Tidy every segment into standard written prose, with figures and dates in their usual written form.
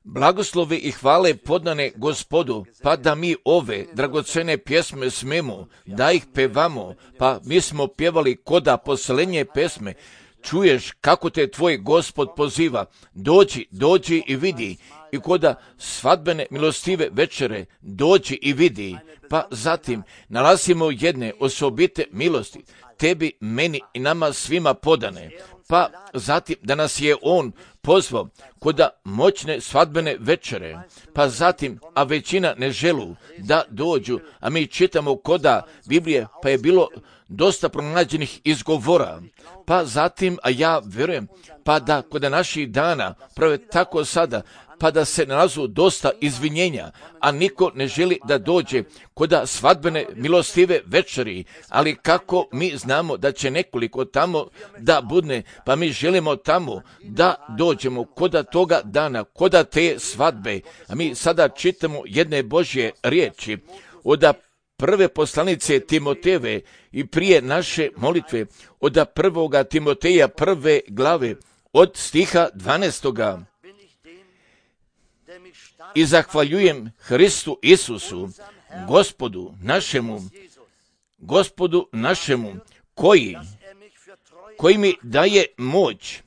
Blagoslovi i hvale podane Gospodu, pa da mi ove dragocene pjesme smemo, da ih pevamo, pa mi smo pjevali koda poslednje pesme. Čuješ kako te tvoj Gospod poziva, dođi i vidi, i koda svadbene milostive večere, dođi i vidi, pa zatim nalazimo jedne osobite milosti, tebi, meni i nama svima podane, pa zatim da nas je on pozvao koda moćne svadbene večere, pa zatim, a većina ne želu da dođu, a mi čitamo koda Biblije, pa je bilo dosta pronađenih izgovora, pa zatim, a ja vjerujem, pa da koda naših dana, prave tako sada, pa da se nalazu dosta izvinjenja, a niko ne želi da dođe koda svadbene milostive večeri, ali kako mi znamo da će nekoliko tamo da budne, pa mi želimo tamo da dođemo koda toga dana, koda te svadbe, a mi sada čitamo jedne Božje riječi od prve poslanice Timotejeve i prije naše molitve od 1. Timoteja 1. glave od stiha 12. I zahvaljujem Hristu Isusu, Gospodu našemu, koji mi daje moć,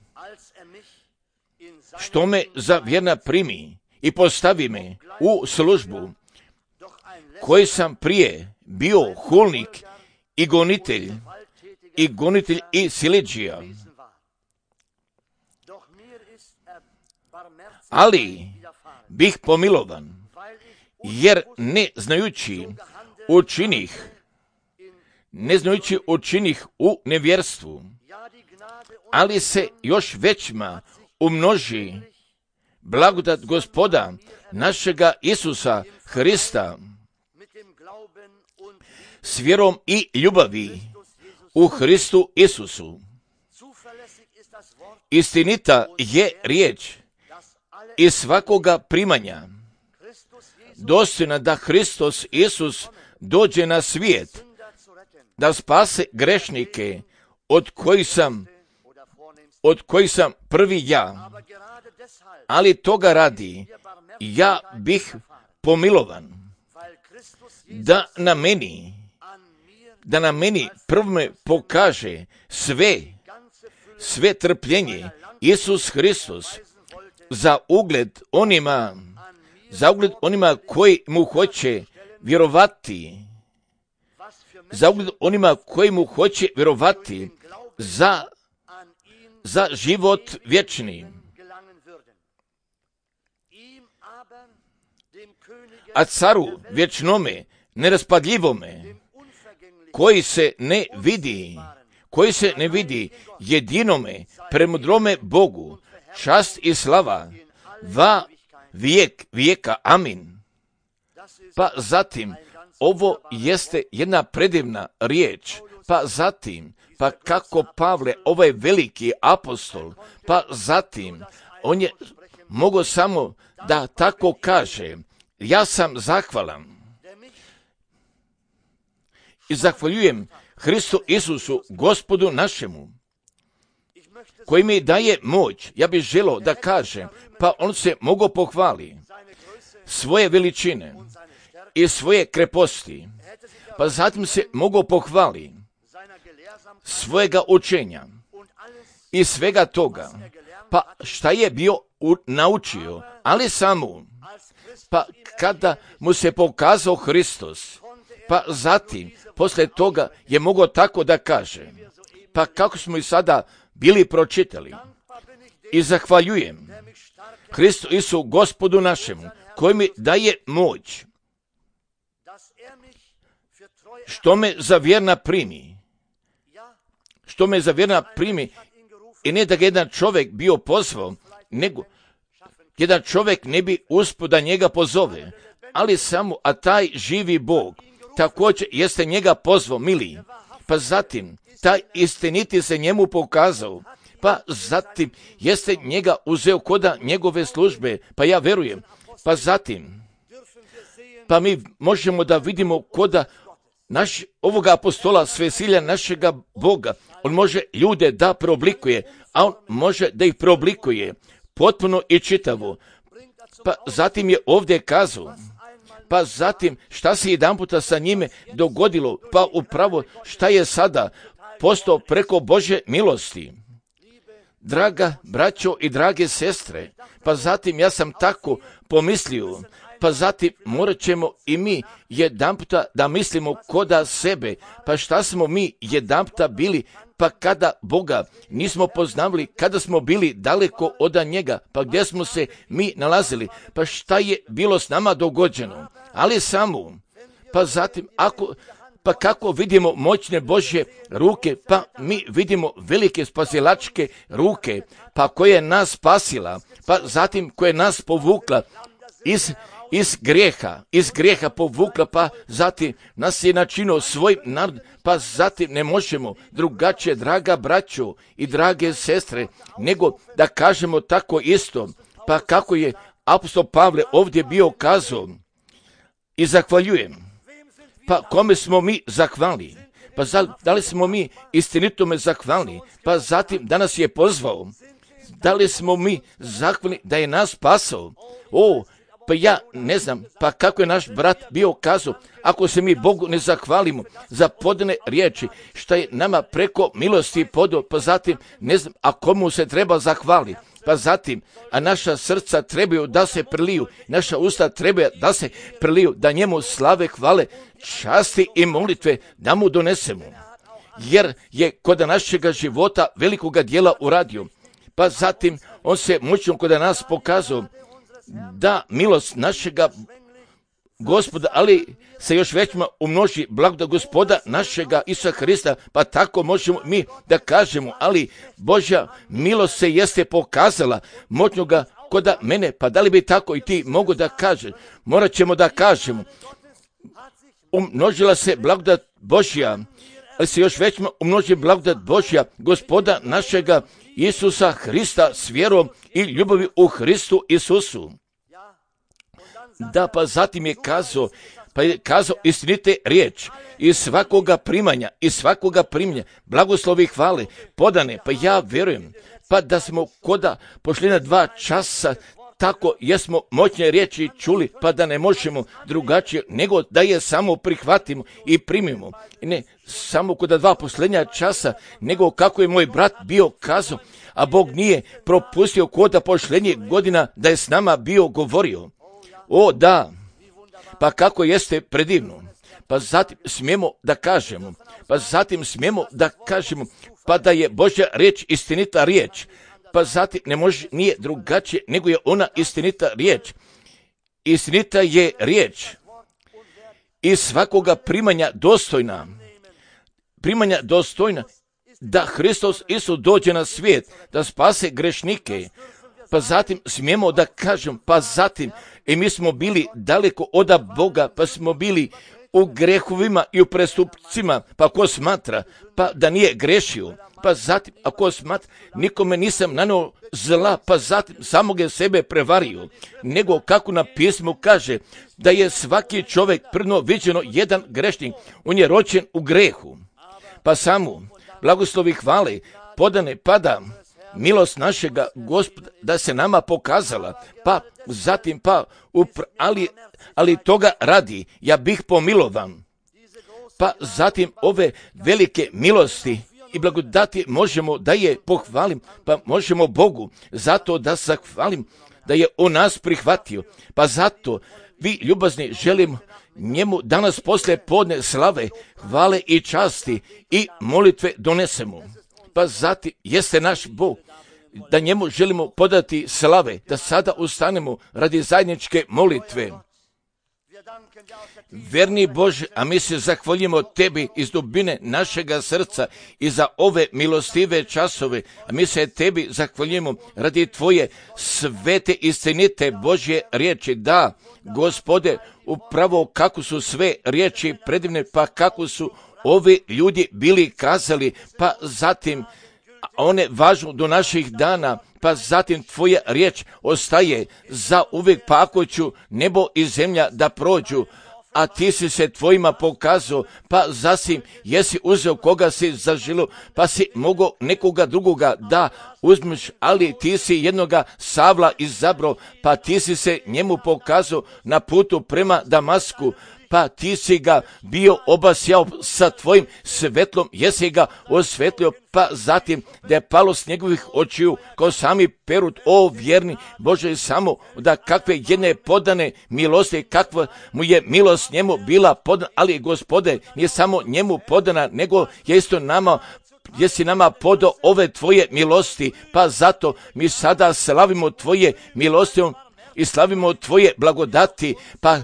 što me za vjerna primi i postavi me u službu, koji sam prije bio hulnik i gonitelj i siledžija. Ali bih pomilovan, jer ne znajući učinih u nevjerstvu, ali se još većma umnoži blagodat Gospoda našega Isusa Hrista s vjerom i ljubavi u Hristu Isusu. Istinita je riječ i svakoga primanja, dostojna da Hristos Isus dođe na svijet, da spase grešnike, od kojih sam prvi ja, ali toga radi, ja bih pomilovan, da na meni prvome pokaže sve trpljenje Isus Hristos, za ugled onima koji mu hoće vjerovati, za život vječni. A caru vječnome, neraspadljivome, koji se ne vidi, jedinome, premudrome Bogu, čast i slava, va vijeka, amin. Pa zatim, ovo jeste jedna predivna riječ, pa zatim, pa kako Pavle, ovaj veliki apostol, pa zatim, on je mogao samo da tako kaže, ja sam zahvalan i zahvaljujem Hristu Isusu, Gospodu našemu, koji mi daje moć. Ja bih želio da kažem, pa on se mogao pohvali svoje veličine i svoje kreposti, pa zatim se mogao pohvali svojega učenja i svega toga, pa šta je bio naučio, ali samo, pa kada mu se pokazao Hristos, pa zatim, poslije toga je mogao tako da kaže, pa kako smo i sada bili pročitali, i zahvaljujem Hristu Isu, Gospodu našemu, koji mi daje moć, što me za vjerna primi, i ne da ga jedan čovjek bio pozvao, nego jedan čovjek ne bi uspio da njega pozove, ali samo, a taj živi Bog također jeste njega pozvao, mili, pa zatim taj istiniti se njemu pokazao, pa zatim jeste njega uzeo koda njegove službe, pa ja verujem, pa zatim, pa mi možemo da vidimo koda ovoga apostola Svesilja našega Boga, on može ljude da preoblikuje, a on može da ih preoblikuje potpuno i čitavo. Pa zatim je ovdje kazao, pa zatim šta se jedanputa sa njime dogodilo, pa upravo šta je sada postao preko Božje milosti. Draga braćo i drage sestre, pa zatim ja sam tako pomislio, pa zatim morat ćemo i mi jedanputa da mislimo koda sebe, pa šta smo mi jedanputa bili, pa kada Boga nismo poznavali, kada smo bili daleko od njega, pa gdje smo se mi nalazili, pa šta je bilo s nama dogođeno, ali samo, pa zatim pa kako vidimo moćne Božje ruke, pa mi vidimo velike spasilačke ruke, pa koje je nas spasila, pa zatim koje je nas povukla iz grijeha povukla, pa zatim nas je načinio svoj narod, pa zatim ne možemo drugačije, draga braćo i drage sestre, nego da kažemo tako isto, pa kako je apostol Pavle ovdje bio kazao i zahvaljujem. Pa kome smo mi zahvalni? Pa da li smo mi istinitome zahvalni? Pa zatim da nas je pozvao. Da li smo mi zahvalni da je nas spasao? Pa ja ne znam, pa kako je naš brat bio kazao, ako se mi Bogu ne zahvalimo za podane riječi, šta je nama preko milosti podao, pa zatim ne znam, a komu se treba zahvaliti. Pa zatim, a naša srca trebaju da se preliju, naša usta trebaju da se preliju, da njemu slave, hvale, časti i molitve da mu donesemo. Jer je kod našega života velikoga dijela uradio. Pa zatim, on se moćno kod nas pokazao da milost našega Gospoda, ali se još većma umnoži blagodat Gospoda našega Isusa Hrista, pa tako možemo mi da kažemo, ali Božja milost se jeste pokazala moćnoga kod mene, pa da li bi tako i ti mogu da kažeš? Morat ćemo da kažemo, umnožila se blagodat Božja, ali se još većma umnoži blagodat Božja Gospoda našega Isusa Hrista s vjerom i ljubavi u Hristu Isusu. Da, pa zatim je kazao istinite riječ i svakoga primanja, blagoslovi hvale, podane, pa ja vjerujem, pa da smo koda pošli na 2 časa, tako jesmo moćne riječi čuli, pa da ne možemo drugačije, nego da je samo prihvatimo i primimo. I ne samo kod 2 posljednja časa, nego kako je moj brat bio kazao, a Bog nije propustio koda posljednjih godina da je s nama bio govorio. Da, pa kako jeste predivno. Pa zatim smijemo da kažemo, pa da je Božja riječ istinita riječ. Pa zatim nije drugačije, nego je ona istinita riječ. Istinita je riječ i svakoga primanja dostojna, da Hristos Isus dođe na svijet, da spase grešnike. Pa zatim smijemo da kažem, pa zatim i mi smo bili daleko od Boga, pa smo bili u grehovima i u prestupcima, pa ko smatra, pa da nije grešio, pa zatim ako smatra, nikome nisam nanio zla, pa zatim samoga sebe prevario, nego kako na pismu kaže, da je svaki čovjek prvno viđeno jedan grešnik, on je rođen u grehu, pa samo blagoslovi hvale, podane pada, milost našega Gospoda da se nama pokazala, pa zatim ali toga radi, ja bih pomilovan. Pa zatim ove velike milosti i blagodati možemo da je pohvalim, pa možemo Bogu zato da zahvalim da je on nas prihvatio. Pa zato vi ljubazni želim njemu danas poslije podne slave, hvale i časti i molitve donesemo. Pa zatim jeste naš Bog, da njemu želimo podati slave, da sada ustanemo radi zajedničke molitve. Verni Bože, a mi se zahvaljujemo tebi iz dubine našega srca i za ove milostive časove, a mi se tebi zahvaljujemo radi tvoje svete istinite Božje riječi. Da, Gospode, upravo kako su sve riječi predivne, pa kako su ovi ljudi bili kazali, pa zatim one važu do naših dana, pa zatim tvoja riječ ostaje za uvijek, pa ako ću nebo i zemlja da prođu, a ti si se tvojima pokazao, pa zasim jesi uzeo koga si zaželio, pa si mogao nekoga drugoga da uzmeš, ali ti si jednoga Savla izabrao, pa ti si se njemu pokazao na putu prema Damasku, pa ti si ga bio obasjao sa tvojim svetlom, jesi ga osvetlio, pa zatim da je palo s njegovih očiju kao sami perut, o vjerni Bože, samo da kakve jedne podane milosti, kakva mu je milost njemu bila podana, ali Gospode, nije samo njemu podana, nego je isto nama, jesi nama podao ove tvoje milosti, pa zato mi sada slavimo tvoje milosti i slavimo tvoje blagodati, pa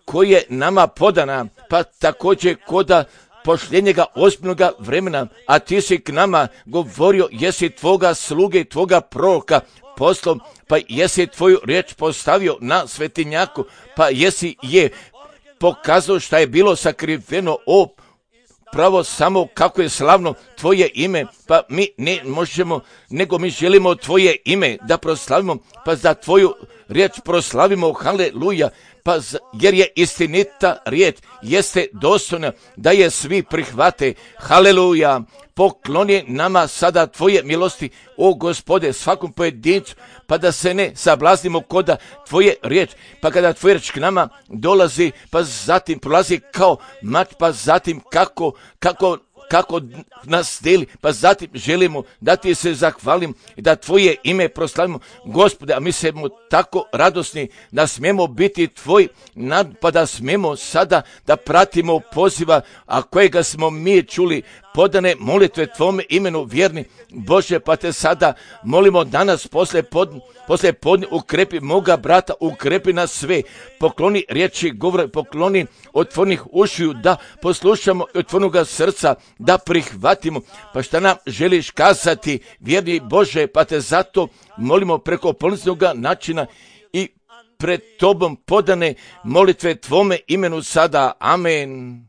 koje nama podana, pa također koda pošljenjega ozbiljnoga vremena, a ti si k nama govorio, jesi tvoga sluge i tvoga proroka poslom, pa jesi tvoju riječ postavio na svetinjaku, pa jesi je pokazao šta je bilo sakriveno, o pravo samo kako je slavno tvoje ime, pa mi ne možemo, nego mi želimo tvoje ime da proslavimo, pa za tvoju riječ proslavimo, haleluja, pa jer je istinita riječ, jeste dostojna da je svi prihvate, haleluja. Pokloni nama sada tvoje milosti, o Gospode, svakom pojedincu, pa da se ne sablaznimo koda tvoje riječ, pa kada tvoja riječ k nama dolazi, pa zatim prolazi kao mač, pa zatim kako nas deli, pa zatim želimo da ti se zahvalim i da tvoje ime proslavimo, Gospode, a mi smo tako radosni da smemo biti tvoj pa da smemo sada da pratimo poziva, a kojega smo mi čuli, podane molitve tvome imenu vjerni Bože, pa te sada molimo danas posle podne ukrepi moga brata, ukrepi nas sve, pokloni riječi govore, pokloni otvornih ušiju da poslušamo i otvornoga srca da prihvatimo, pa šta nam želiš kazati vjerni Bože, pa te zato molimo preko polnicnoga načina i pred tobom podane molitve tvome imenu sada, amen.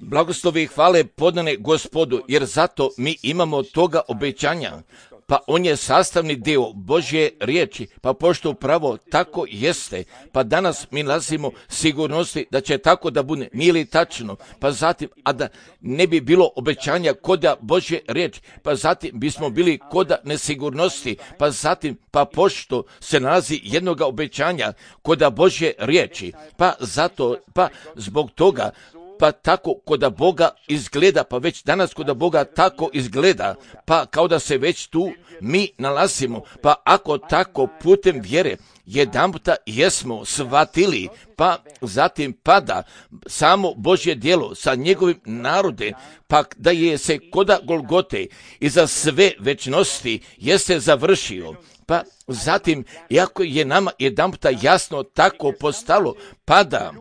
Blagoslovi i hvale podane Gospodu, jer zato mi imamo toga obećanja, pa on je sastavni dio Božje riječi, pa pošto upravo tako jeste, pa danas mi nalazimo sigurnosti da će tako da bude, nije li tačno, pa zatim, a da ne bi bilo obećanja koda Božje riječi, pa zatim bismo bili koda nesigurnosti, pa zatim, pa pošto se nalazi jednoga obećanja koda Božje riječi, pa zato, pa zbog toga, pa tako koda Boga izgleda, pa već danas koda Boga tako izgleda, pa kao da se već tu mi nalazimo, pa ako tako putem vjere jedanputa jesmo shvatili, pa zatim pada samo Božje djelo sa njegovim narodem, pa da je se koda Golgote i za sve večnosti jeste završio, pa zatim, iako je nama jedanputa jasno tako postalo, pada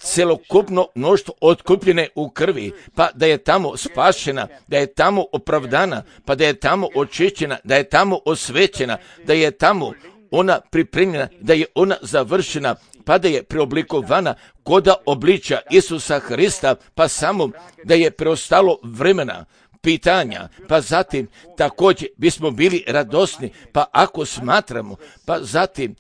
celokupno mnoštvo otkupljene u krvi, pa da je tamo spašena, da je tamo opravdana, pa da je tamo očišćena, da je tamo osvećena, da je tamo ona pripremljena, da je ona završena, pa da je preoblikovana koda obličja Isusa Hrista, pa samo da je preostalo vremena pitanja, pa zatim također bismo bili radosni, pa ako smatramo, pa zatim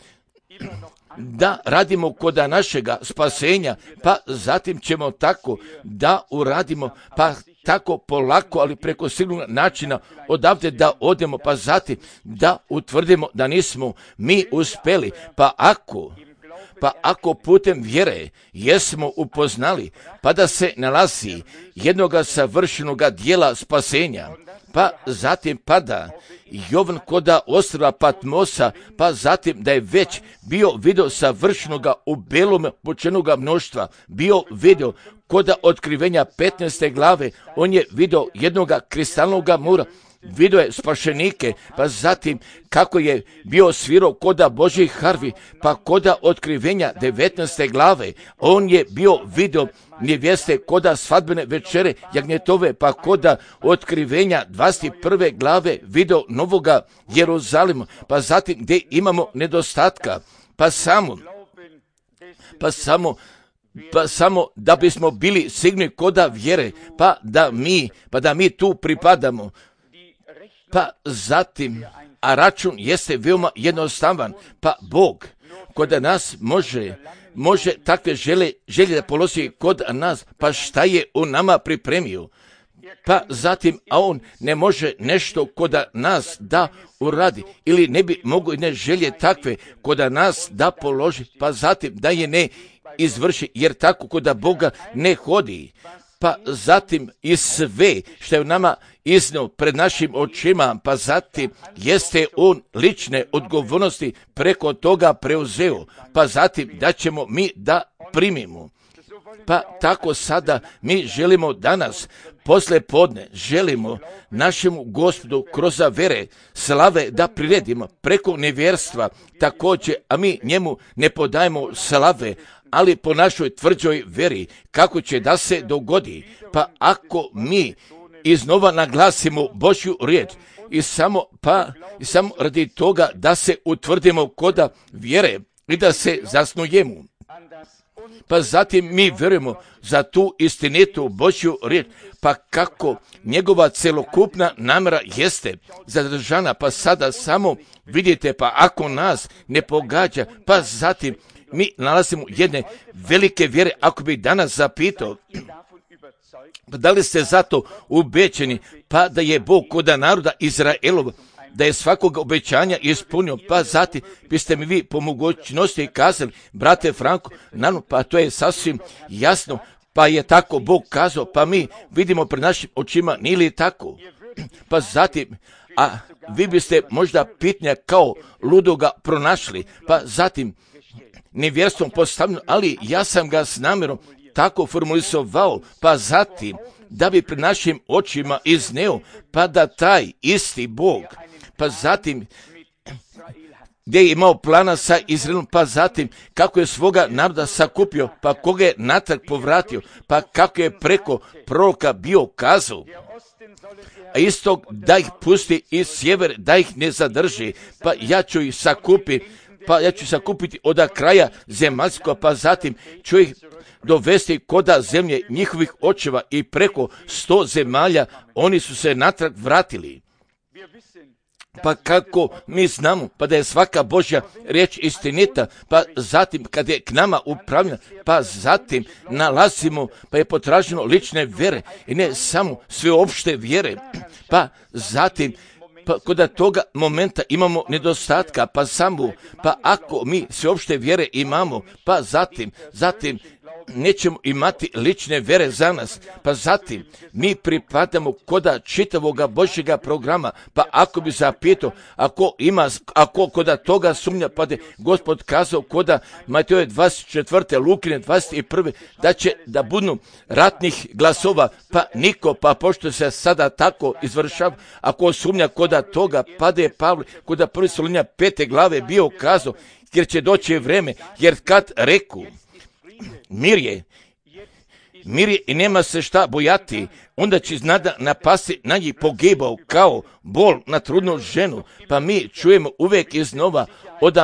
da radimo koda našega spasenja, pa zatim ćemo tako da uradimo, pa tako polako, ali preko sigurnog načina odavde da odemo, pa zatim da utvrdimo da nismo mi uspeli, pa ako putem vjere jesmo upoznali, pa da se nalazi jednoga savršenoga dijela spasenja, pa zatim pada Jovan koda ostrva Patmosa, pa zatim da je već bio video savršenoga u belom počenoga mnoštva, bio video koda otkrivenja 15. glave, on je video jednoga kristalnoga mora, video je spašenike, pa zatim kako je bio svirao koda Božjih harvi, pa koda otkrivenja 19. glave, on je bio video nevjeste koda svadbene večere jagnjetove, pa koda otkrivenja 21. glave video novoga Jeruzalema, pa zatim gdje imamo nedostatka, pa samo da bismo bili sigurni koda vjere, pa da mi tu pripadamo. Pa zatim, a račun jeste veoma jednostavan, pa Bog kod nas može takve želje da položi kod nas, pa šta je on nama pripremio? Pa zatim, a on ne može nešto kod nas da uradi, ili ne bi mogo ne želje takve kod nas da položi, pa zatim da je ne izvrši, jer tako kod Boga ne hodi. Pa zatim i sve što je u nama iznio pred našim očima, pa zatim jeste on lične odgovornosti preko toga preuzeo, pa zatim da ćemo mi da primimo. Pa tako sada mi želimo danas, posle podne, želimo našemu Gospodu kroz vere slave da priredimo preko nevjerstva također, a mi njemu ne podajemo slave, ali po našoj tvrđoj veri kako će da se dogodi. Pa ako mi iznova naglasimo Božju riječ i samo radi toga da se utvrdimo kod vjere i da se zasnujemo. Pa zatim mi vjerujemo za tu istinitu Božju riječ, pa kako njegova celokupna namjera jeste zadržana, pa sada samo vidite, pa ako nas ne pogađa, pa zatim mi nalazimo jedne velike vjere. Ako bi danas zapitao, pa da li ste zato ubećeni, pa da je Bog kod naroda Izraelova, da je svakog obećanja ispunio, pa zatim biste mi vi po mogućnosti kazali, brate Franko, naravno, pa to je sasvim jasno, pa je tako Bog kazao, pa mi vidimo pred našim očima, nije li tako? Pa zatim, a vi biste možda pitanja kao ludoga pronašli, pa zatim nevjerstvom postavljeno, ali ja sam ga s namjerom tako formulisovao, pa zatim da bi pred našim očima izneo, pa da taj isti Bog, pa zatim gdje je imao plana sa Izraelom, pa zatim kako je svoga naroda sakupio, pa koga je natrag povratio, pa kako je preko proroka bio kazao, a istog da ih pusti iz sjever, da ih ne zadrži, pa ja ću ih sakupiti od kraja zemaljskog, pa zatim ću ih dovesti koda zemlje njihovih očeva i preko 100 zemalja oni su se natrag vratili. Pa kako mi znamo, pa da je svaka Božja riječ istinita, pa zatim kad je k nama upravljena, pa zatim nalazimo, pa je potraženo lične vjere i ne samo sveopšte vjere, pa zatim pa kod toga momenta imamo nedostatka, pa ako mi sveopšte vjere imamo, pa zatim nećemo imati lične vjere za nas, pa zatim mi pripadamo koda čitavoga Božjega programa, pa ako bi zapitao, ako koda toga sumnja, pa da Gospod kazao koda Mateje 24. Lukine 21. da će da budu ratnih glasova, pa niko, pa pošto se sada tako izvršava, ako sumnja koda toga, pa da je Pavle koda 1. Solunja 5. glave bio kazao, jer će doći vreme, jer kad reku mir je i nema se šta bojati, onda će iznada napasti na njih pogibao kao bol na trudnu ženu, pa mi čujemo uvijek iznova od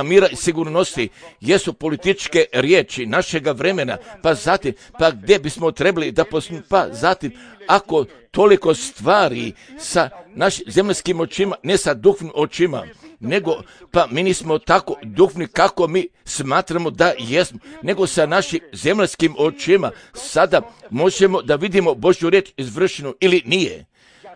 mira i sigurnosti jesu političke riječi našega vremena, pa zatim, pa gdje bismo trebali da pa zatim, ako toliko stvari sa našim zemaljskim očima, ne sa duhovnim očima, nego, pa mi nismo tako duhovni kako mi smatramo da jesmo, nego sa našim zemaljskim očima sada možemo da vidimo Božju riječ izvršenu ili nije.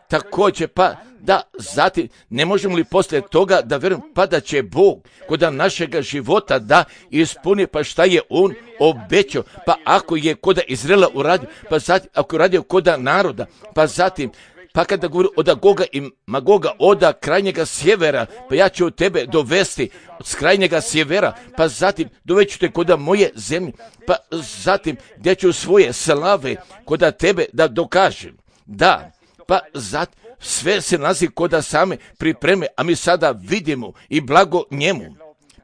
Također, pa da zatim ne možemo li poslije toga da vjerujemo, pa da će Bog kod našega života da ispuni, pa šta je On obećao, pa ako je kod Izraela uradio, pa zatim ako je radio kod naroda, pa zatim pa kada govori od Goga i Magoga, od krajnjega sjevera, pa ja ću tebe dovesti s krajnjega sjevera, pa zatim doveću te kod moje zemlje, pa zatim gdje ću svoje slave kod tebe da dokažem. Da, pa zatim sve se nalazi kod same pripreme, a mi sada vidimo i blago njemu,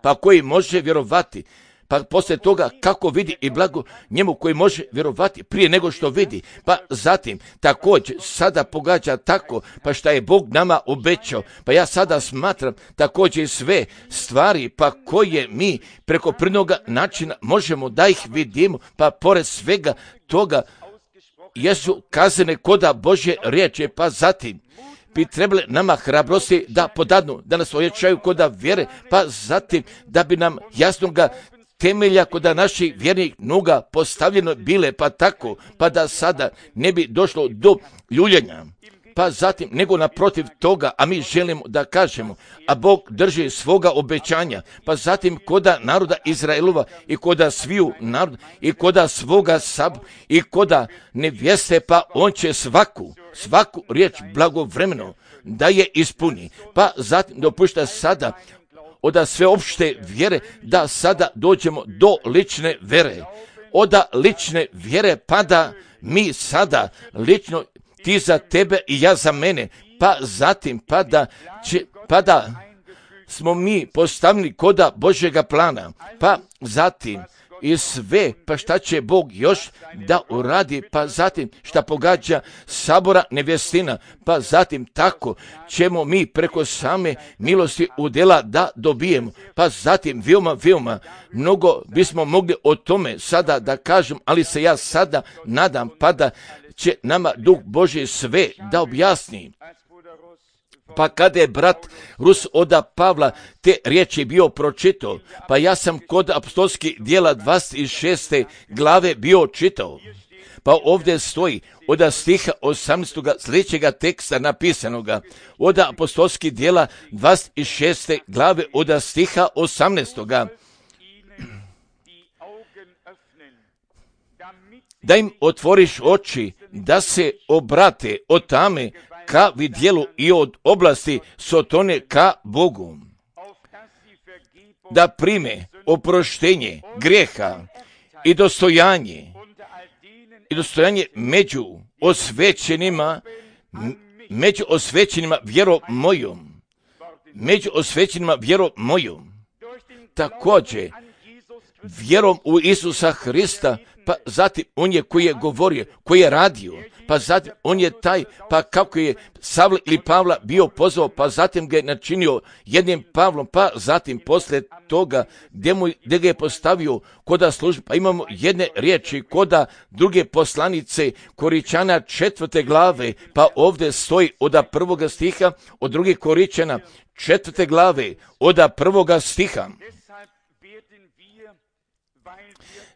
pa koji može vjerovati. Pa poslije toga kako vidi i blago njemu koji može vjerovati prije nego što vidi. Pa zatim također sada pogađa tako, pa šta je Bog nama obećao. Pa ja sada smatram također sve stvari pa koje mi preko prinoga načina možemo da ih vidimo, pa pored svega toga jesu kazane koda Božje riječi, pa zatim bi trebali nama hrabrosti da podadnu, da nas ojačaju koda vjere, pa zatim da bi nam jasnoga temelja koda naših vjernih noga postavljeno bile, pa tako, pa da sada ne bi došlo do ljuljenja. Pa zatim, nego naprotiv toga, a mi želimo da kažemo, a Bog drži svoga obećanja, pa zatim koda naroda Izraelova i koda sviju naroda i koda svoga i koda nevjeste, pa on će svaku riječ blagovremeno da je ispuni. Pa zatim dopušta sada od sveopšte vjere da sada dođemo do lične vjere. Od lične vjere pa da mi sada lično, ti za tebe i ja za mene, pa zatim pa da smo mi postavljeni koda Božjega plana, pa zatim i sve, pa šta će Bog još da uradi, pa zatim šta pogađa sabora nevjestina, pa zatim tako ćemo mi preko same milosti udjela da dobijemo, pa zatim veoma mnogo bismo mogli o tome sada da kažem, ali se ja sada nadam pa da će nama Duh Božji sve da objasni. Pa kada je brat Rus od Pavla te riječi bio pročitao, pa ja sam kod apostolskih djela 26. glave bio čitao. Pa ovdje stoji od stiha 18. sljedećega teksta napisanoga, od apostolskih djela 26. glave od stiha 18. Da im otvoriš oči, da se obrate od tame ka vidjelu i od oblasti sotone ka Bogu, da prime oproštenje grijeha i dostojanje među osvećenima vjerom mojom, također vjerom u Isusa Hrista, pa zatim on je koji je govorio, koji je radio, pa zatim on je taj, pa kako je Savla ili Pavla bio pozvao, pa zatim ga je načinio jednim Pavlom, pa zatim poslije toga gdje ga je postavio koda službe, pa imamo jedne riječi koda druge poslanice Koričana 4. glave, pa ovdje stoji od 1. stiha, od 2. Koričana 4. glave, od 1. stiha.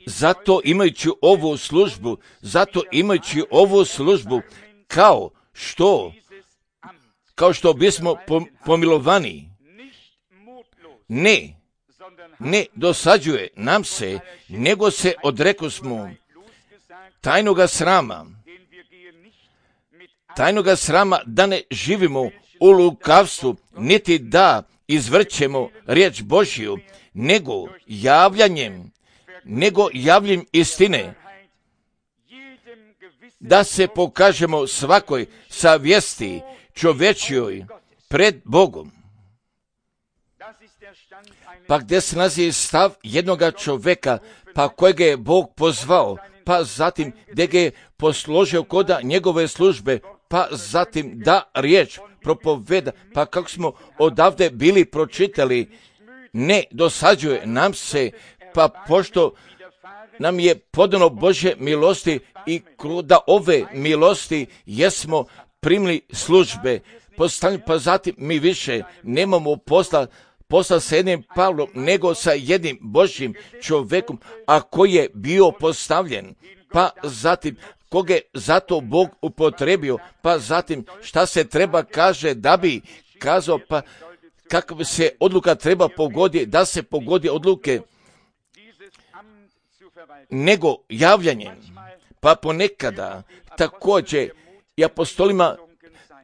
Zato imajući ovu službu, kao što bismo pomilovani, ne dosađuje nam se, nego se odrekosmo tajnoga srama, da ne živimo u lukavstvu, niti da izvrćemo riječ Božju, nego javljanjem istine, da se pokažemo svakoj savjesti čovječjoj pred Bogom. Pa gdje se nalazi stav jednoga čovjeka, pa kojega je Bog pozvao, pa zatim gdje ga je posložio koda njegove službe, pa zatim da riječ propoveda, pa kako smo odavde bili pročitali, ne dosađuje nam se, pa pošto nam je podano Božje milosti i da ove milosti jesmo primili službe, pa zatim mi više nemamo posla sa jednim Pavlom, nego sa jednim Božjim čovjekom, a koji je bio postavljen, pa zatim koga je zato Bog upotrebio, pa zatim šta se treba kaže da bi kazao, pa kakva se odluka treba pogoditi, da se pogodi odluke, nego javljanjem, pa ponekada također i apostolima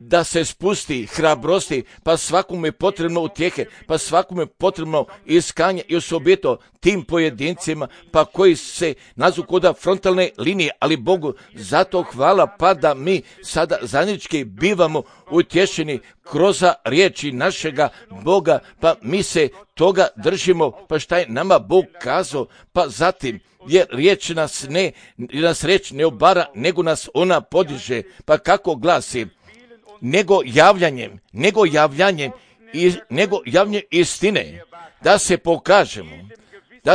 da se spusti hrabrosti, pa svakome je potrebno utjehe, pa svakome je potrebno iskanje i osobito tim pojedincima, pa koji se nazu koda frontalne linije, ali Bogu zato hvala, pa da mi sada zajednički bivamo utješeni kroz riječi našega Boga, pa mi se toga držimo, pa šta je nama Bog kazao, pa zatim jer riječ nas riječ ne obara, nego nas ona podiže, pa kako glasi, nego javljanjem istine, da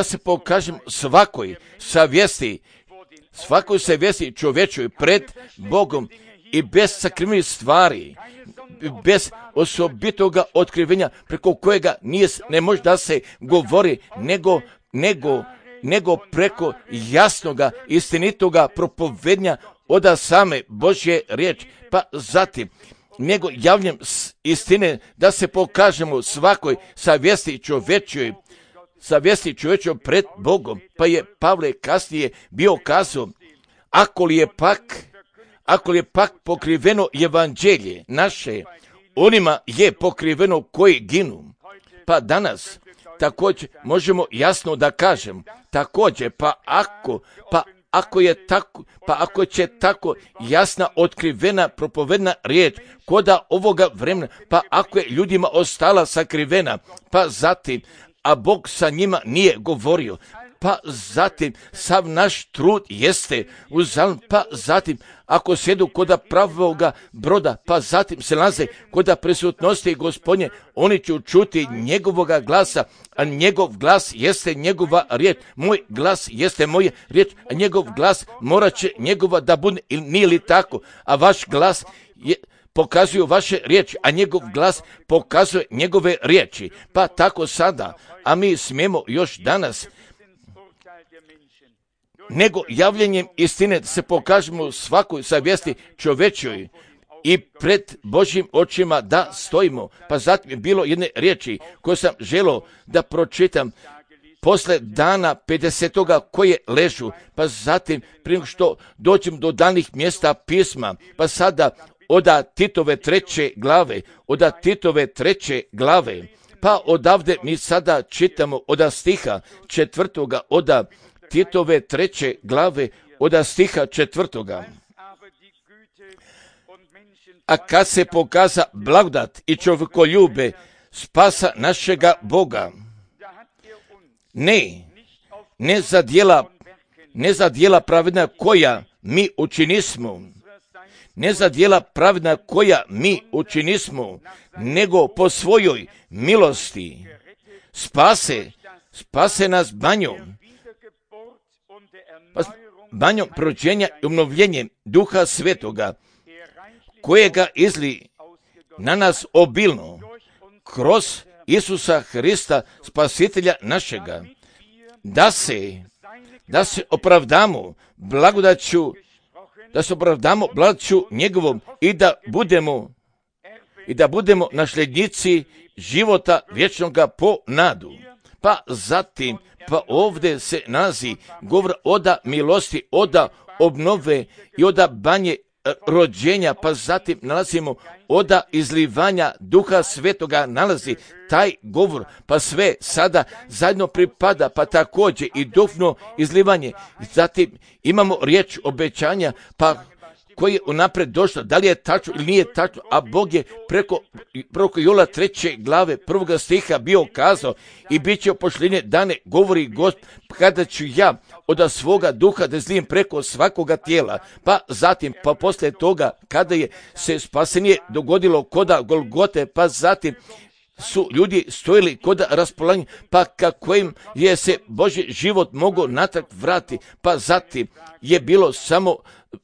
se pokažemo svakoj savjesti čovječoj pred Bogom i bez sakrivenih stvari, bez osobitoga otkrivenja preko kojega ne može da se govori, nego preko jasnoga, istinitoga propovednja oda same Božje riječi, pa zatim nego javljanjem istine da se pokažemo svakoj savjesti čovečoj pred Bogom, pa je Pavle kasnije bio kazao, ako li je pak pokriveno evanđelje naše, onima je pokriveno koji ginu. Pa danas također možemo jasno da kažem, također, ako će tako jasna, otkrivena, propovedna riječ koda ovoga vremena, pa ako je ljudima ostala sakrivena, pa zatim, a Bog sa njima nije govorio, pa zatim sav naš trud jeste uzalud, pa zatim ako sjedu koda pravoga broda, pa zatim se nalaze koda prisutnosti Gospodnje, oni će čuti njegovoga glasa, a njegov glas jeste njegova riječ, moj glas jeste moja riječ, a njegov glas morat će njegova da bude, ili nije li tako, a vaš glas pokazuju vaše riječi, a njegov glas pokazuje njegove riječi, pa tako sada, a mi smijemo još danas nego javljanjem istine se pokažemo svakoj savjesti čovečoj i pred Božjim očima da stojimo. Pa zatim je bilo jedne riječi koje sam želio da pročitam posle dana 50. koje ležu, pa zatim prije što dođem do danih mjesta pisma, pa sada oda Titove 3. glave, pa odavde mi sada čitamo oda stiha 4. oda Titove 3. glave oda stiha 4. A kad se pokaza blagodat i čovjekoljube spasa našega Boga, ne za djela pravedna koja mi učinismo, nego po svojoj milosti spase nas banjom prođenja i obnovljenjem Duha Svetoga, kojega izli na nas obilno kroz Isusa Hrista, Spasitelja našega, da se opravdamo blagodaću njegovom i da budemo nasljednici života vječnoga po nadu. Pa zatim, pa ovdje se nalazi govor oda milosti, oda obnove i oda banje rođenja, pa zatim nalazimo oda izlivanja Duha Svetoga, nalazi taj govor, pa sve sada zajedno pripada, pa također i duhovno izlivanje. Zatim imamo riječ obećanja, pa koji je unaprijed došlo, da li je tačno ili nije tačno, a Bog je preko Joela 3. glave 1. stiha bio kazao i bit će pošljenje dane, govori Gospod, kada ću ja od svoga duha da izlijem preko svakoga tijela, pa zatim, pa poslije toga, kada je se spasenje dogodilo koda Golgote, pa zatim su ljudi stojili kod raspolaganja, pa kako im je se Božji život mogao natrag vratiti, pa zatim je bilo samo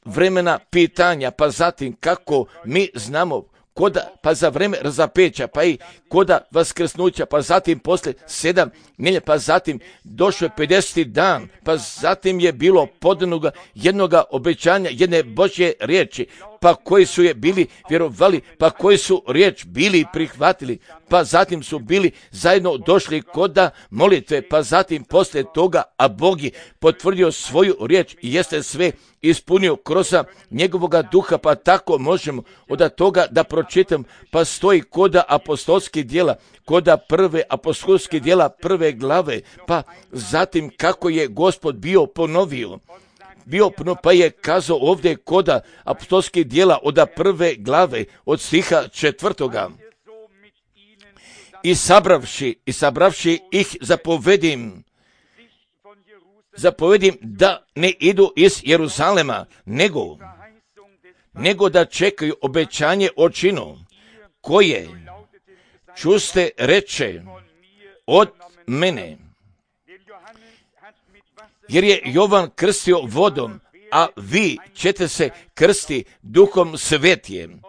vremena pitanja, pa zatim kako mi znamo pa za vreme razapeća, pa i koda vaskrsnuća, pa zatim posle 7 nedjelja, pa zatim došao je 50. dan, pa zatim je bilo podanoga jednoga obećanja, jedne Božje riječi, pa koji su je bili vjerovali, pa koji su riječ bili prihvatili, pa zatim su bili zajedno došli koda molitve, pa zatim posle toga, a Bog je potvrdio svoju riječ i jeste sve ispunio kroz njegovoga duha, pa tako možemo od toga da pročitam, pa stoji koda apostolskih djela, koda prve apostolskih djela 1. glave, pa zatim kako je Gospod bio ponovio, pa je kazao ovdje koda apostolskih djela od 1. glave od stiha 4. I sabravši ih zapovedim da ne idu iz Jeruzalema, nego da čekaju obećanje očinu, koje čuste reče od mene. Jer je Jovan krstio vodom, a vi ćete se krsti Duhom Svetijem.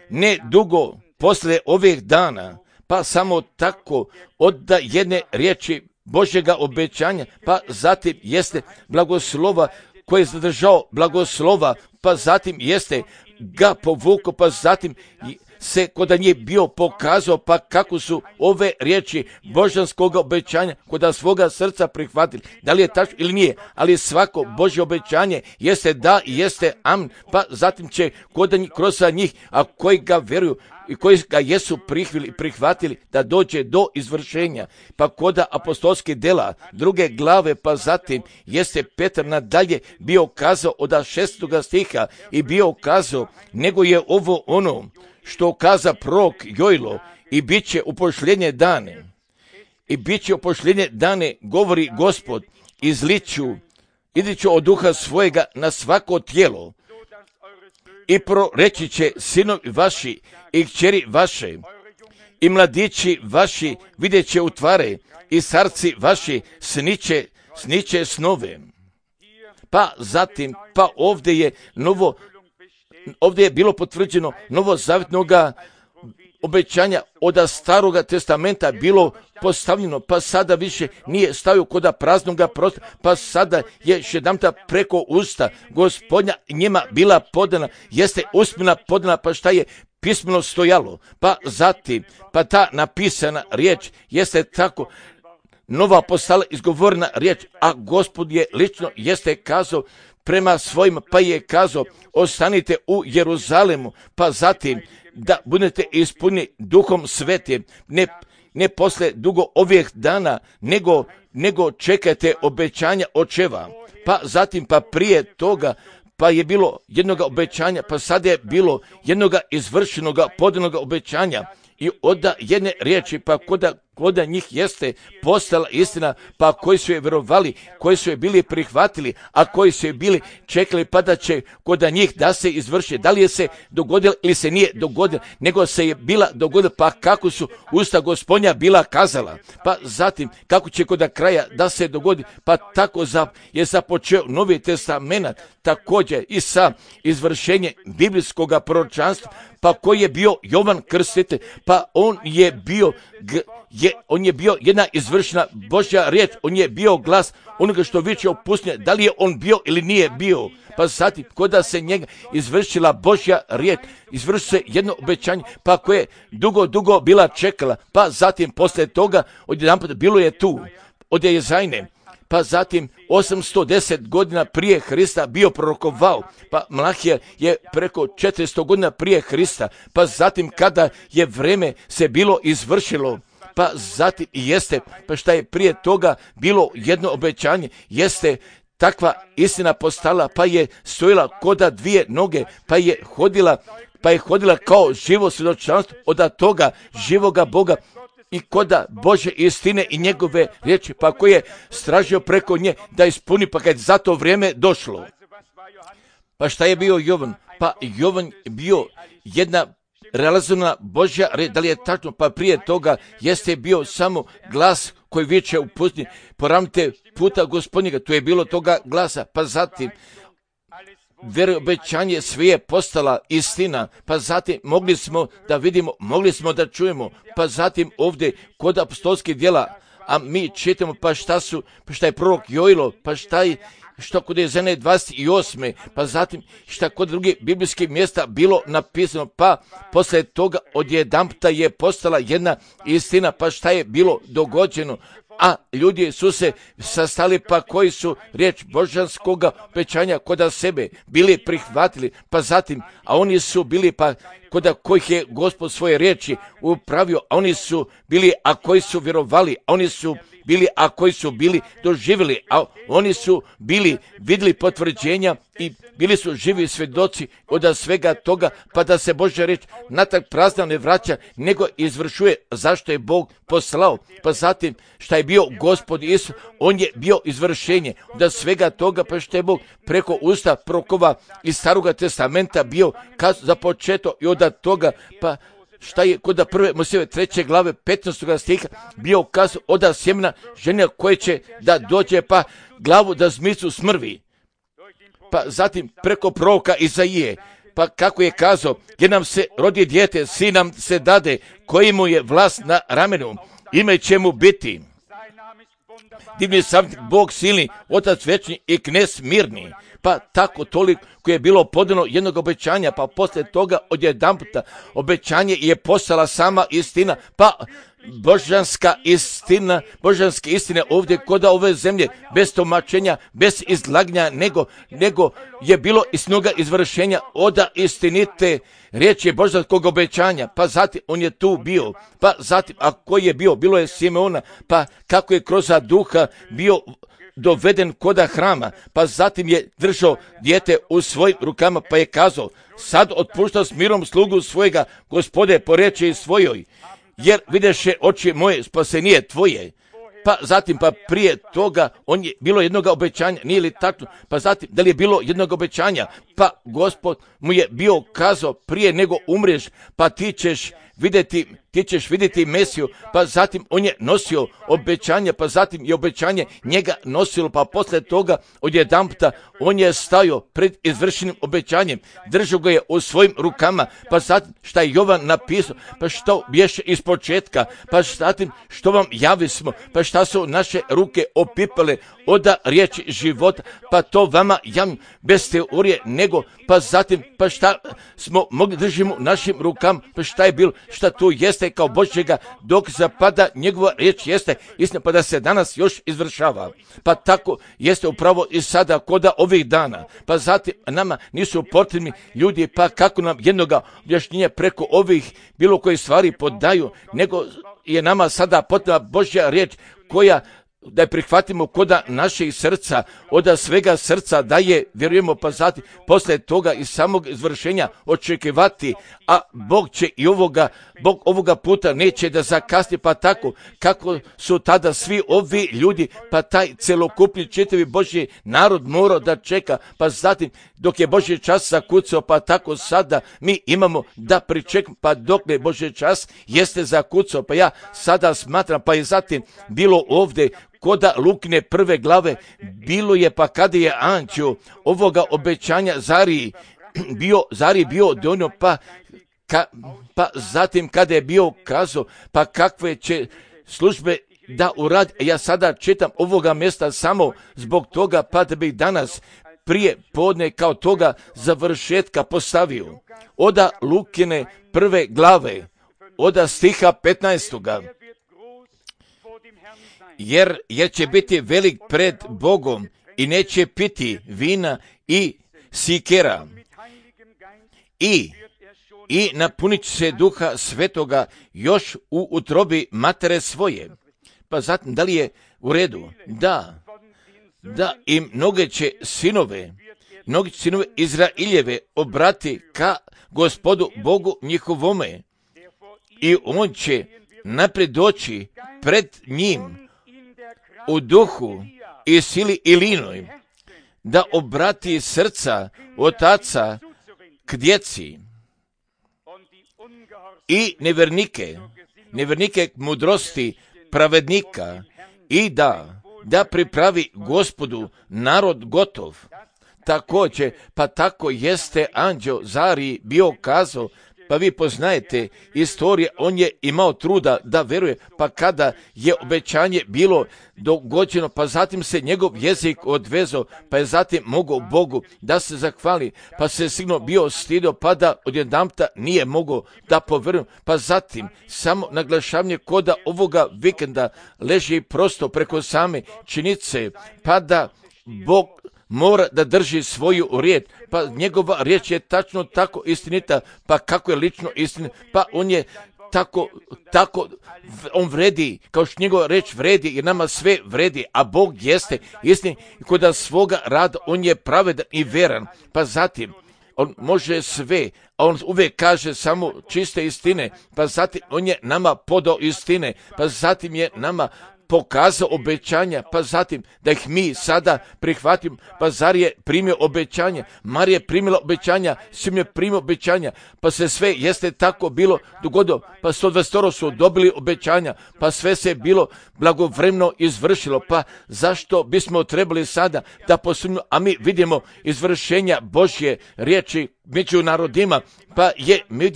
Ne dugo poslije ovih dana, pa samo tako odda jedne riječi Božjega obećanja, pa zatim jeste blagoslova koji je zadržao blagoslova, pa zatim jeste ga povukao, pa zatim se kod njih bio pokazao, pa kako su ove riječi božanskog obećanja kod svoga srca prihvatili. Da li je tačno ili nije, ali svako Božje obećanje jeste da i jeste amen, pa zatim će kod njih, kroz njih, a koji ga vjeruju i koji ga jesu prihvatili da dođe do izvršenja. Pa kod apostolskih dela 2. glave, pa zatim jeste Petar nadalje bio kazao od 6. stiha i bio kazao, nego je ovo ono što kaza prorok Jojlo, i bit će u posljednje dane. I bit će u posljednje dane, govori Gospod, izliću od duha svojega na svako tijelo i proreći će sinovi vaši i kćeri vaše i mladići vaši vidjet će utvare i starci vaši sniće snove. Pa zatim, pa ovdje je bilo potvrđeno novozavjetnoga obećanja od staroga testamenta bilo postavljeno, pa sada više nije stavio kod praznoga prostora, pa sada je šedamta preko usta Gospodnja njima bila podana, jeste usmena podana, pa šta je pismeno stojalo, pa zatim, pa ta napisana riječ jeste tako nova postala izgovorena riječ, a Gospod je lično jeste kazao prema svojim, pa je kazao, ostanite u Jeruzalemu, pa zatim da budete ispunjeni Duhom Svetim, ne posle dugo ovih dana, nego čekajte obećanja očeva. Pa zatim, pa prije toga, pa je bilo jednog obećanja, pa sad je bilo jednog izvršenog podanog obećanja i od jedne riječi, pa kod njih jeste postala istina, pa koji su je vjerovali, koji su je bili prihvatili, a koji su je bili čekali pa da će kod njih da se izvrši. Da li je se dogodilo ili se nije dogodilo, nego se je bila dogodila, pa kako su usta Gospodnja bila kazala, pa zatim kako će kod kraja da se dogodi, pa tako je započeo Novi testament, također i sa izvršenjem biblijskog proročanstva, pa koji je bio Jovan Krstitelj, pa on je bio jedna izvršena Božja riječ, on je bio glas onoga što viče o pustinji, da li je on bio ili nije bio. Pa zatim, koda se njega izvršila Božja riječ, izvršilo se jedno obećanje, pa koje je dugo bila čekala, pa zatim poslije toga odjedanput bilo je tu, od Jezajne, pa zatim 810 godina prije Hrista bio prorokovao, pa Mlahija je preko 400 godina prije Hrista, pa zatim kada je vreme se bilo izvršilo, pa zatim i jeste, pa šta je prije toga bilo jedno obećanje, jeste takva istina postala, pa je stojila koda dvije noge, pa je hodila kao živo svjedočanstvo od toga živoga Boga i koda Bože istine i njegove riječi, pa koji je stražio preko nje da ispuni, pa kad je za to vrijeme došlo. Pa šta je bio Jovan? Pa Jovan bio jedna realizovana Božja riječ, da li je tačno, pa prije toga jeste bio samo glas koji viče u pustinji, poravnite puta Gospodnjega, tu je bilo toga glasa, pa zatim obećanje sve je postala istina, pa zatim mogli smo da vidimo, mogli smo da čujemo, pa zatim ovdje kod apostolskih djela, a mi čitamo pa šta je prorok Jojlo, pa što kod Jezajne 28. pa zatim šta kod drugih biblijskih mjesta bilo napisano, pa poslije toga odjedanputa je postala jedna istina, pa šta je bilo dogođeno, a ljudi su se sastali, pa koji su riječ božanskog obećanja kod sebe bili prihvatili, pa zatim, a oni su bili pa kod kojih je Gospod svoje riječi upravio, a oni su bili, a koji su vjerovali, a oni su bili, a koji su bili doživjeli, a oni su bili vidjeli potvrđenja i bili su živi svjedoci od svega toga, pa da se Božja riječ natrag prazna ne vraća, nego izvršuje zašto je Bog poslao. Pa zatim šta je bio Gospod Isus, on je bio izvršenje od svega toga, pa što je Bog preko usta prorokova iz Staroga testamenta bio započeto i od toga, pa šta je kod prve Mojsijeve 3. glave 15. stiha bio ukaz od sjemena žene koje će da dođe pa glavu da zmicu smrvi. pa zatim preko proroka Izaije, pa kako je kazao, jer nam se rodi dijete, sin nam se dade, koji mu je vlast na ramenu, ime će mu biti divni savjetnik, Bog silni, Otac večni i knez mirni. Pa tako toliko je bilo podano jednog obećanja, pa poslije toga odjedanputa obećanje je postala sama istina, pa božanska istine ovdje kod ove zemlje, bez tumačenja, bez izlaganja, nego je bilo istinoga izvršenja oda istinite riječi božanskog obećanja. Pa zatim on je tu bio, pa zatim a koji je bio, bilo je Simeona, pa kako je kroz duha bio doveden koda hrama, pa zatim je držao dijete u svojim rukama, pa je kazao, sad otpušta s mirom slugu svojega, Gospode, po riječi svojoj, jer videše oči moje spasenije tvoje. Pa zatim, pa prije toga, bilo jednog obećanja, nije li tačno, pa zatim, da li je bilo jednog obećanja, pa Gospod mu je bio kazao, prije nego umreš, pa ti ćeš vidjeti Mesiju, pa zatim on je nosio obećanje, pa zatim je obećanje njega nosilo, pa poslije toga odjedanputa on je stajao pred izvršenim obećanjem, držao ga je u svojim rukama, pa zatim šta je Jovan napisao, pa što bješe iz početka, pa zatim što vam javismo, pa šta su naše ruke opipale oda riječi života, pa to vama javim bez teorije, nego pa zatim, pa šta smo mogli držimo našim rukama, pa šta je bilo, šta tu jeste kao Božjega dok zapada njegova riječ jeste istina, pa da se danas još izvršava. Pa tako jeste upravo i sada koda ovih dana. Pa zatim nama nisu potrebni ljudi, pa kako nam jednoga objašnjenja preko ovih bilo koje stvari podaju, nego je nama sada potrebna Božja riječ koja da je prihvatimo koda naših srca, od svega srca da je, vjerujemo, pa zatim poslije toga i samog izvršenja očekivati, a Bog će i Bog ovoga puta neće da zakasni, pa tako kako su tada svi ovi ljudi, pa taj celokupni čitavi Božji narod morao da čeka, pa zatim dok je Božji čas zakucao, pa tako sada mi imamo da pričekamo, pa dok je Božji čas jeste zakucao, pa ja sada smatram, pa je zatim bilo ovdje koda Lukine 1. glave, bilo je pa kada je anđeo ovoga obećanja Zari bio donio, pa zatim kada je bio kazao, pa kakve će službe da uradi. Ja sada čitam ovoga mjesta samo zbog toga, pa da bih danas prije podne kao toga završetka postavio. Oda Lukine 1. glave, oda stiha 15. Jer će biti velik pred Bogom i neće piti vina i sikera i napunit će se Duha Svetoga još u utrobi matere svoje. Pa zatim, da li je u redu? Da i mnoge će sinove Izraeljeve obrati ka Gospodu Bogu njihovome i on će naprijed doći pred njim u duhu i sili Ilinoj, da obrati srca otaca k djeci i nevernike k mudrosti pravednika i da pripravi Gospodu narod gotov. Također, pa tako jeste anđeo Zari bio kazao, pa vi poznajete istorije, on je imao truda da veruje, pa kada je obećanje bilo dogođeno, pa zatim se njegov jezik odvezao, pa je zatim mogao Bogu da se zahvali, pa se sigurno bio stidio, pa da odjedanputa nije mogao da poveruje, pa zatim samo naglašavanje koda ovoga vikenda leži prosto preko same činice, pa da Bog mora da drži svoju riječ, pa njegova riječ je tačno tako istinita, pa kako je lično istinita, pa on je tako on vredi, kao što njegova riječ vredi, jer nama sve vredi, a Bog jeste istin i kod svoga rada on je pravedan i veran, pa zatim on može sve, a on uvijek kaže samo čiste istine, pa zatim on je nama podao istine, pa zatim je nama pokazao obećanja, pa zatim da ih mi sada prihvatimo, pa Zar je primio obećanja, Marija je primila obećanja, Simeon je primio obećanja, pa se sve jeste tako bilo dogodilo, pa 120 su dobili obećanja, pa sve se bilo blagovremeno izvršilo, pa zašto bismo trebali sada da posumnjamo, a mi vidimo izvršenja Božje riječi među narodima, pa mi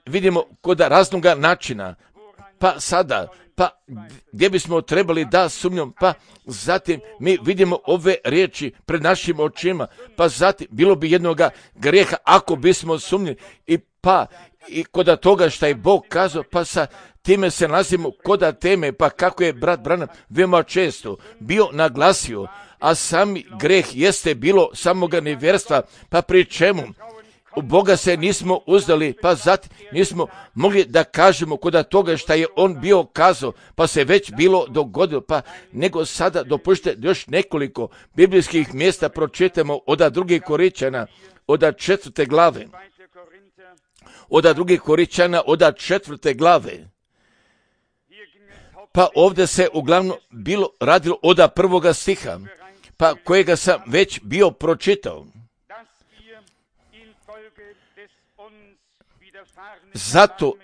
vidimo koda raznoga načina, pa sada, pa gdje bismo trebali da sumnjamo, pa zatim mi vidimo ove riječi pred našim očima, pa zatim bilo bi jednoga grijeha ako bismo sumnjali i koda toga što je Bog kazao, pa sa time se nalazimo koda teme, pa kako je brat Branham veoma često bio naglasio, a sami greh jeste bilo samoga nevjerstva, pa pri čemu u Boga se nismo uzdali, pa zatim nismo mogli da kažemo koda toga što je on bio kazao, pa se već bilo dogodilo, pa nego sada dopušte još nekoliko biblijskih mjesta pročitamo od 2. Korinćana, od 4. glave. Od 2. Korinćana, od 4. glave. Pa ovdje se uglavnom bilo radilo od 1. stiha, pa kojega sam već bio pročitao.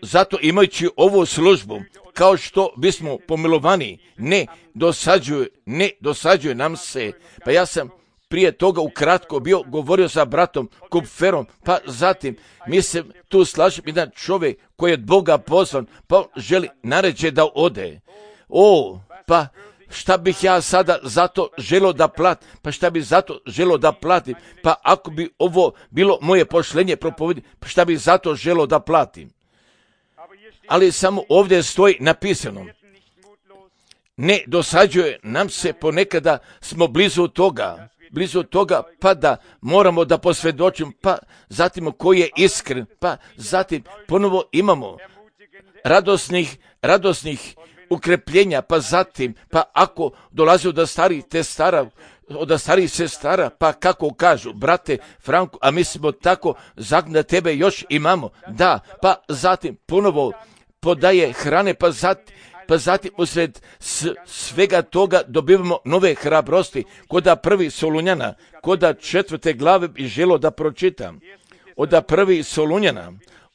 Zato imajući ovu službu, kao što bismo pomilovani, ne dosađuje nam se. Pa ja sam prije toga ukratko bio govorio sa bratom Kupferom, pa zatim mislim tu slažem jedan čovjek koji je od Boga pozvan, pa želi naređe da ode. Pa šta bih ja sada zato želio da platim? Pa šta bi zato želio da platim? Pa ako bi ovo bilo moje pošlenje propovedi, pa šta bi zato želio da platim? Ali samo ovdje stoji napisano, ne dosađuje nam se, ponekada smo blizu toga, pa da moramo da posvjedočimo, pa zatim koji je iskren, pa zatim ponovo imamo radosnih ukrepljenja, pa zatim, pa ako dolazi od starih sestara, pa kako kažu, brate Franko, a mi smo tako zakon da tebe još imamo, da, pa zatim ponovo podaje hrane, pa zatim usred svega toga dobivamo nove hrabrosti, koda 1. Solunjana, koda 4. glave bi želo da pročitam, od 1. Solunjana,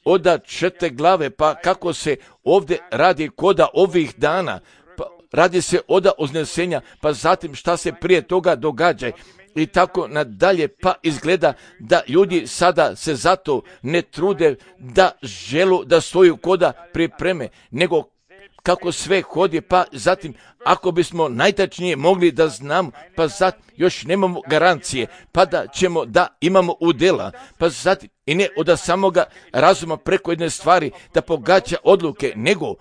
od 4. glave, pa kako se ovdje radi koda ovih dana, pa radi se od uznesenja, pa zatim šta se prije toga događa i tako nadalje, pa izgleda da ljudi sada se zato ne trude da želu da stoju koda pripreme, nego kako sve hodi, pa zatim ako bismo najtačnije mogli da znamo, pa zatim još nemamo garancije, pa da ćemo da imamo udjela, pa zatim i ne od samoga razuma preko jedne stvari da pogađa odluke, nego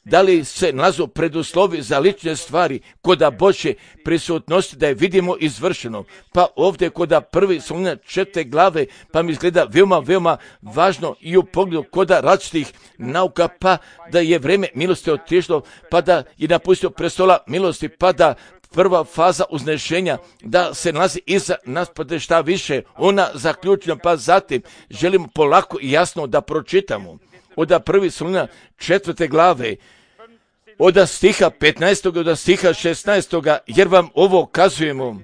da li se nalazu preduslovi za lične stvari koda Božje prisutnosti da je vidimo izvršeno. Pa ovdje koda 1. Solunjana 4. glave, pa mi izgleda veoma važno i u pogledu koda različitih nauka, pa da je vrijeme milosti otišlo, pa da je napustio prestola milosti, pa da prva faza uznešenja da se nalazi iza nas, pa da šta više ona zaključena, pa zatim želimo polako i jasno da pročitamo od 1. Solunjana 4. glave, od stiha 15. do stiha 16. jer vam ovo kazujemo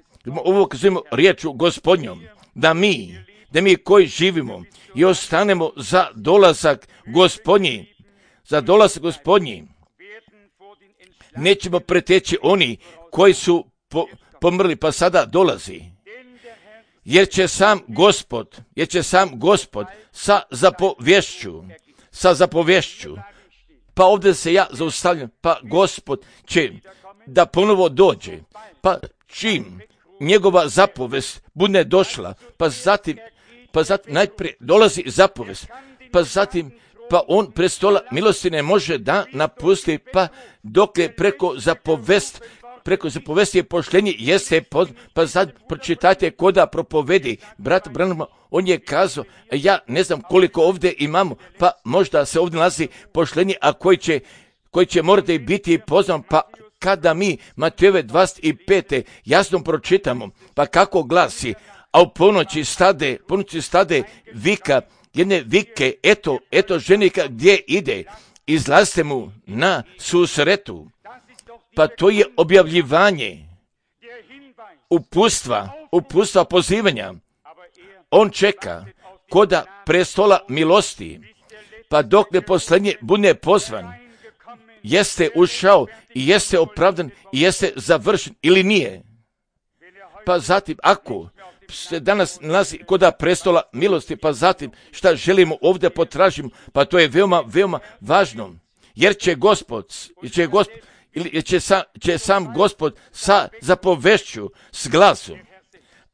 riječu Gospodnjom, da mi koji živimo i ostanemo za dolazak Gospodnji, nećemo preteći oni koji su pomrli, pa sada dolazi. Jer će sam Gospod sa zapovješću, pa ovdje se ja zaustavljam, pa Gospod će da ponovo dođe, pa čim njegova zapovest bude došla, pa zatim najprije dolazi zapovest, pa zatim on prestola milosti ne može da napusti, pa dok je preko zapovesti je poštenje jeste pa sad pročitajte koda propovedi. Brat Branham, on je kazao, ja ne znam koliko ovdje imamo, pa možda se ovdje nalazi poštenje, a koji će morati biti poznan, pa kada mi Matejove 25. jasno pročitamo, pa kako glasi, a u ponoći stade vika, jedne vike, eto ženika gdje ide, izlazite mu na susretu. Pa to je objavljivanje upustva pozivanja. On čeka koda prestola milosti, pa dok ne posljednje bude pozvan, jeste ušao i jeste opravdan i jeste završen ili nije. Pa zatim, ako se danas nalazi koda prestola milosti, pa zatim šta želimo ovdje potražimo, pa to je veoma, veoma važno, jer će sam Gospod sa zapovešću, s glasom.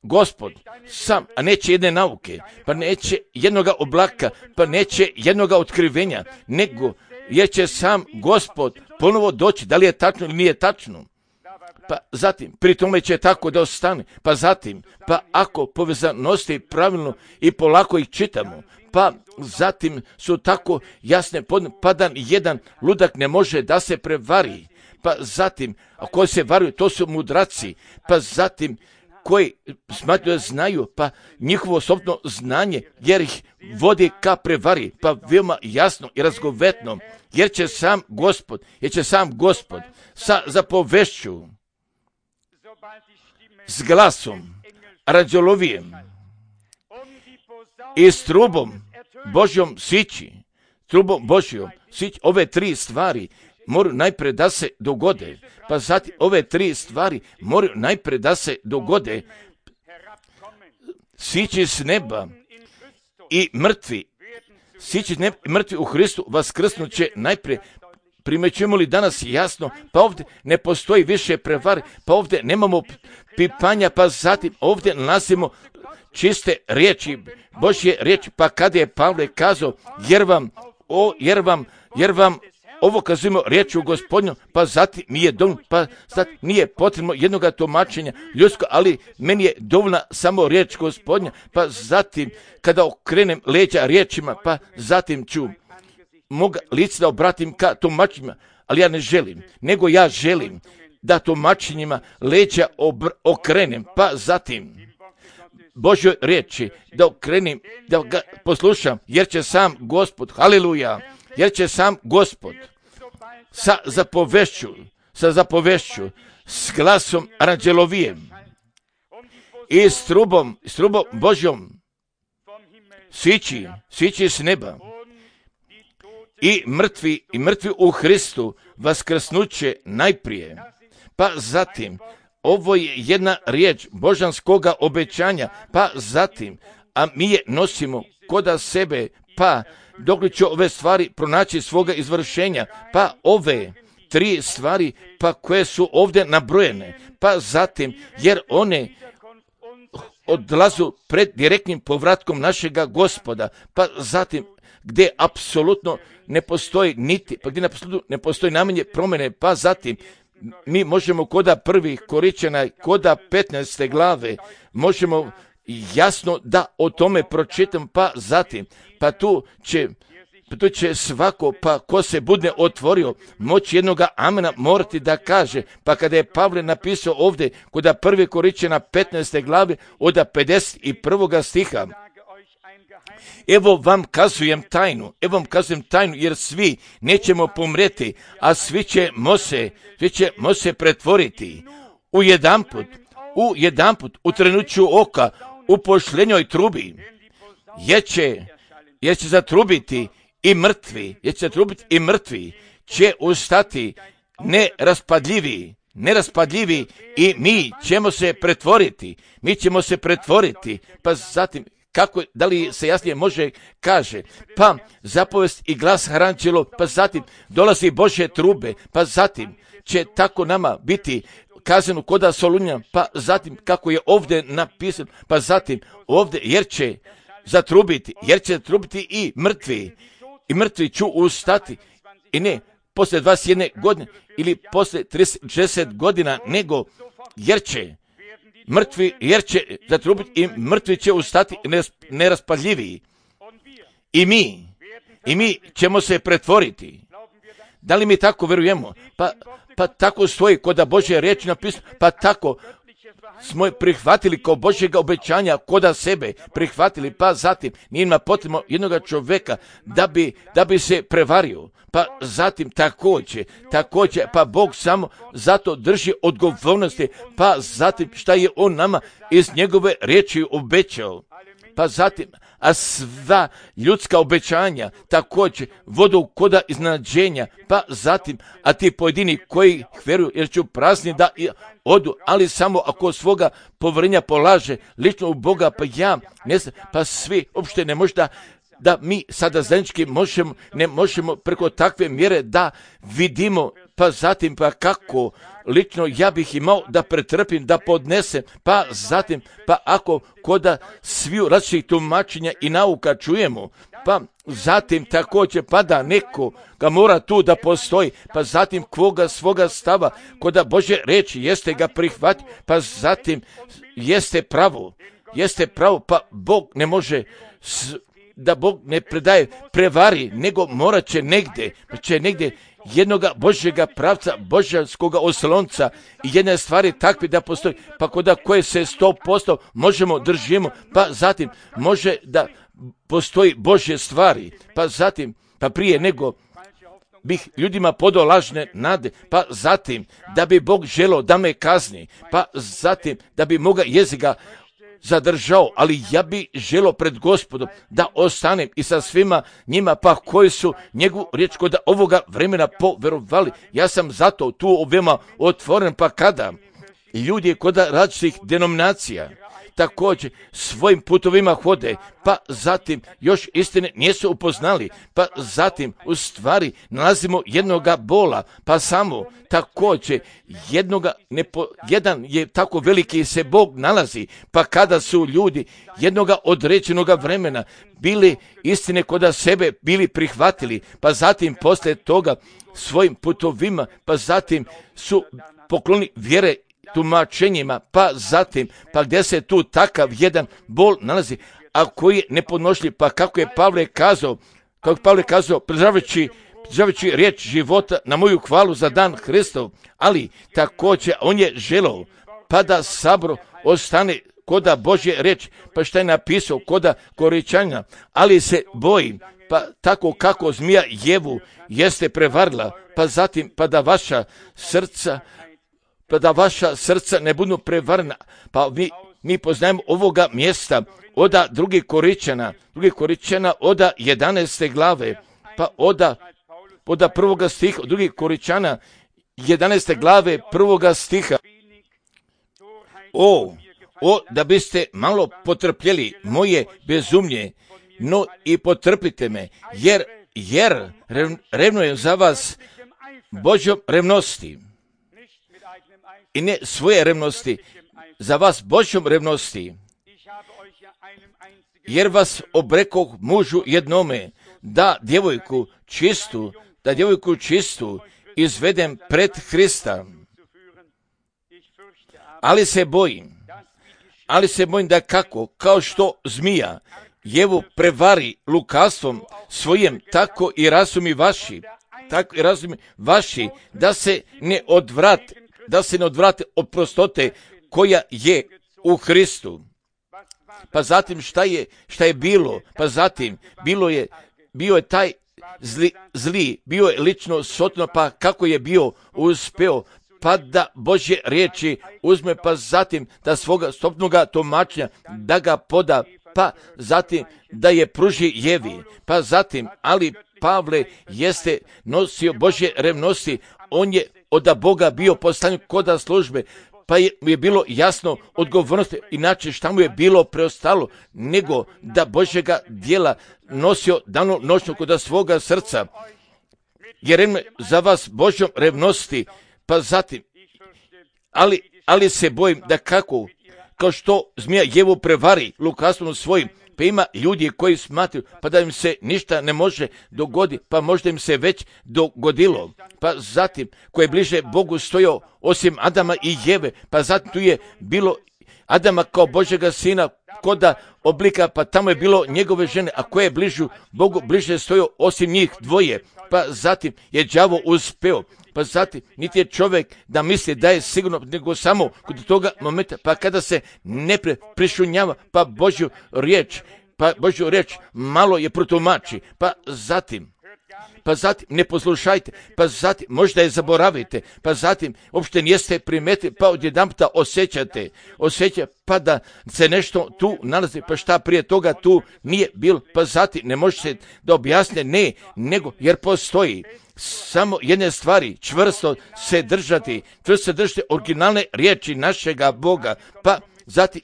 Gospod sam, a neće jedne nauke, pa neće jednoga oblaka, pa neće jednoga otkrivenja, nego jer će sam Gospod ponovo doći, da li je tačno ili nije tačno. Pa zatim, pri tome će tako da ostane, pa zatim, pa ako povezanosti pravilno i polako ih čitamo, pa zatim su tako jasne, pa da jedan ludak ne može da se prevari, pa zatim, a koji se varuju, to su mudraci, pa zatim, koji smatruju znaju, pa njihovo sobno znanje, jer ih vodi ka prevari, pa veoma jasno i razgovetno, jer će sam Gospod sa zapovešću, s glasom, anđelovijem i s trubom Božjom sići, ove tri stvari moraju najprije da se dogode, pa zatim ove tri stvari moraju najprije da se dogode. Sići s neba i mrtvi u Hristu vaskrsnut će najprije. Primećujemo li danas jasno, pa ovdje ne postoji više prevar, pa ovdje nemamo pipanja, pa zatim ovdje nalazimo čiste riječi, Božje riječi, pa kada je Pavle kazao, jer vam ovo kazujemo riječu Gospodnju, pa zatim mi je dovoljno, pa zatim nije potrebno jednoga tumačenja ljudsko, ali meni je dovoljna samo riječ Gospodnja, pa zatim kada okrenem leđa riječima, pa zatim ću moga lica da obratim ka tumačenjima, ali ja ne želim, nego ja želim da tumačenjima leđa okrenem, pa zatim Božjoj riječi da okrenem, da ga poslušam, jer će sam Gospod, haleluja, jer će sam Gospod sa zapovešću, s glasom anđelovijem i s trubom Božjom sići s neba i mrtvi u Hristu vaskrsnuće najprije. Pa zatim, ovo je jedna riječ božanskoga obećanja, pa zatim, a mi je nosimo koda sebe, pa dok će ove stvari pronaći svoga izvršenja, pa ove tri stvari, pa koje su ovdje nabrojene, pa zatim, jer one odlazu pred direktnim povratkom našega Gospoda, pa zatim, gdje apsolutno ne postoji gdje apsolutno ne postoji najmanje promjene, pa zatim, mi možemo koda 1. Koričana, koda 15. glave, možemo jasno da o tome pročitam, pa zatim, pa tu će svako, pa ko se bude otvorio, moći jednoga amena morati da kaže, pa kada je Pavle napisao ovdje, koda 1. Koričana 15. glave, od 51. stiha, evo vam kazujem tajnu, jer svi nećemo pomreti, a svi ćemo se pretvoriti u jedanput, u trenuću oka, u pošljenjoj trubi, jer će zatrubiti i mrtvi će ustati neraspadljivi i mi ćemo se pretvoriti, pa zatim, kako, da li se jasnije može kaže, pa zapovest i glas anđelov, pa zatim dolazi Božje trube, pa zatim će tako nama biti kazano koda Solunja, pa zatim kako je ovdje napisano, pa zatim ovdje jer će zatrubiti i mrtvi će ustati, i ne poslije 21 godine ili poslije 60 godina, nego jer će zatrubiti i mrtvi će ustati neraspadljiviji. I mi ćemo se pretvoriti. Da li mi tako verujemo? Pa tako stoji kod Božje riječi napisano, pa tako smo prihvatili kao Božjega obećanja koda sebe, prihvatili, pa zatim nije ima potrebno jednoga čovjeka da bi se prevario, pa zatim također, pa Bog samo zato drži odgovornosti, pa zatim šta je on nama iz njegove riječi obećao, pa zatim, a sva ljudska obećanja također vodu koda iznenađenja, pa zatim, a ti pojedini koji vjeruju jer ću prazni da odu, ali samo ako svoga povjerenja polaže lično u Boga, pa ja ne znam, pa svi uopšte ne može da mi sada zajednički ne možemo preko takve mjere da vidimo, pa zatim, pa kako lično ja bih imao da pretrpim, da podnesem, pa zatim, pa ako koda sviju različitih tumačenja i nauka čujemo, pa zatim također pa da neko ga mora tu da postoji, pa zatim kvoga svoga stava, koda Božje reči jeste ga prihvati, pa zatim jeste pravo, pa Bog ne može da Bog ne predaje prevari, nego morat će negdje jednoga Božjega pravca, božanskoga oslonca i jedne stvari takve da postoji, pa koda koje se 100% možemo držimo, pa zatim može da postoji Božje stvari, pa zatim, pa prije nego bih ljudima podao lažne nade, pa zatim da bi Bog želio da me kazni, pa zatim da bi moga jezika zadržao, ali ja bi želio pred Gospodom da ostanem i sa svima njima, pa koji su njegovu riječ kod ovoga vremena poverovali. Ja sam zato tu veoma otvoren, pa kada ljudi kod različitih denominacija također svojim putovima hode, pa zatim još istine nisu upoznali, pa zatim u stvari nalazimo jednoga bola, pa samo također jedan je tako veliki se Bog nalazi, pa kada su ljudi jednoga određenoga vremena bili istine kod sebe bili prihvatili, pa zatim poslije toga svojim putovima, pa zatim su pokloni vjere tumačenjima, pa zatim, pa gdje se tu takav jedan bol nalazi, a koji je nepodnošljiv, pa kako je Pavle kazao, pridržavajući riječ života na moju hvalu za dan Hristov, ali također on je želeo, pa da sabor ostane koda Božje riječ, pa šta je napisao koda Koričanja, ali se bojim, pa tako kako zmija Jevu jeste prevarila, pa zatim, pa da vaša srca ne budu prevarena, pa mi poznajemo ovoga mjesta oda drugih Koričana oda 11. glave, pa oda prvoga stiha, drugih Koričana 11. glave prvoga stiha. O, da biste malo potrpjeli moje bezumlje, no i potrpite me, jer revnujem za vas Božjom revnosti. I ne svoje revnosti, za vas Božjom revnosti, jer vas obrekoh mužu jednome, da djevojku čistu izvedem pred Hrista. Ali se bojim da kao što zmija Jevu prevari lukavstvom svojim, tako i razumi vaši, da se ne odvrate od prostote koja je u Hristu. Pa zatim šta je bilo? Pa zatim bio je taj zli, bio je lično sotno, pa kako je bio uspeo, pa da Božje riječi uzme, pa zatim da svoga stopnoga tumačenja da ga poda, pa zatim da je pruži Jevi, pa zatim, ali Pavle jeste nosio Božje revnosti, on je od Boga bio postavljen koda službe, pa je bilo jasno odgovornosti, inače šta mu je bilo preostalo, nego da Božjega djela nosio dano noćno koda svoga srca, jer za vas Božjom revnosti, pa zatim, ali se bojim da kao što zmija Jevu prevari lukavstvom svojim, pa ima ljudi koji smatraju pa da im se ništa ne može dogoditi, pa možda im se već dogodilo, pa zatim ko je bliže Bogu stojao osim Adama i Jeve, pa zatim tu je bilo Adama kao Božjega sina koda oblika, pa tamo je bilo njegove žene, a ko je bližu Bogu bliže stojao osim njih dvoje, pa zatim je đavo uspeo, pa zatim niti je čovjek da misli da je sigurno, nego samo kod toga momenta, pa kada se ne prišunjava, pa Božju riječ malo je protumači, pa zatim ne poslušajte, pa zatim možda je zaboravite, pa zatim uopšte niste primetili, pa odjedanputa osjećate, pa da se nešto tu nalazi, pa šta prije toga tu nije bilo, pa zatim ne možete da objasne, ne, nego jer postoji samo jedne stvari, čvrsto se držati originalne riječi našega Boga, pa zatim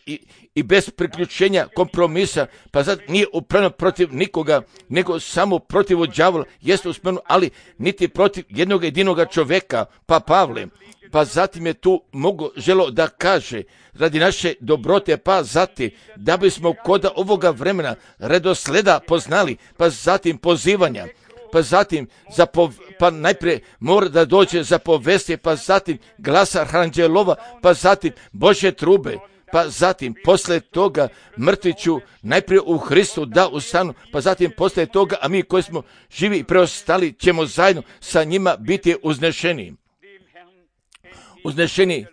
i bez priključenja kompromisa, pa zato nije upreno protiv nikoga, nego samo protiv đavola, jeste uspjeno, ali niti protiv jednog jedinoga čovjeka, pa Pavle. Pa zatim je tu želo da kaže, radi naše dobrote, pa zatim, da bismo kod ovoga vremena redosleda poznali, pa zatim pozivanja, pa zatim pa najprije mora da dođe za povesti, pa zatim glasa anđelova, pa zatim Božje trube, pa zatim poslije toga mrtviću najprije u Hristu da ustanu, pa zatim poslije toga, a mi koji smo živi i preostali ćemo zajedno sa njima biti uznešeni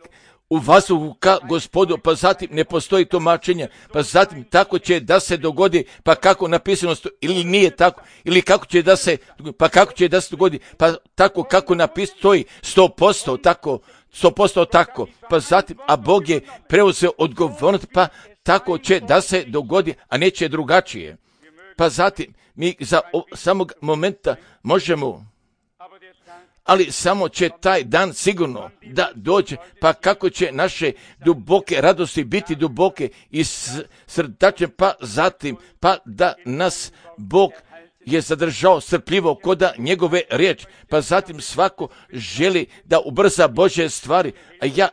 u vazduhu ka Gospodu, pa zatim ne postoji tumačenja, pa zatim tako će da se dogodi, pa kako napisano ili nije tako, ili kako će da se dogodi, pa tako kako napisano stoji 100% tako, pa zatim, a Bog je preuzeo odgovornost, pa tako će da se dogodi, a neće drugačije. Pa zatim, mi za samog momenta možemo, ali samo će taj dan sigurno da dođe, pa kako će naše duboke radosti biti duboke i srdačne, pa zatim, pa da nas Bog je zadržao strpljivo koda njegove riječi, pa zatim svako želi da ubrza Božje stvari, a ja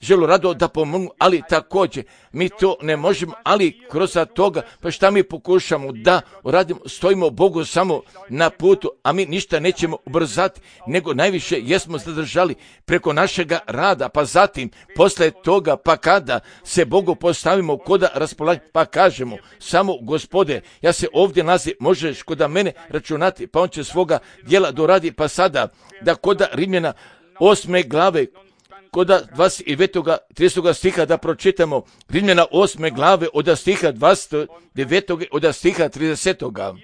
želu rado da pomognu, ali također mi to ne možemo, ali kroz toga, pa šta mi pokušamo da uradimo, stojimo Bogu samo na putu, a mi ništa nećemo ubrzati, nego najviše jesmo zadržali preko našega rada, pa zatim posle toga, pa kada se Bogu postavimo koda raspolaganju, pa kažemo samo Gospode, ja se ovdje nalazim, možeš koda mene računati, pa on će svoga djela doradi, pa sada da koda Rimljana 8. glave, koda 29. 30. stiha da pročitamo, Rimljana 8. glave od stiha 29. od stiha 30.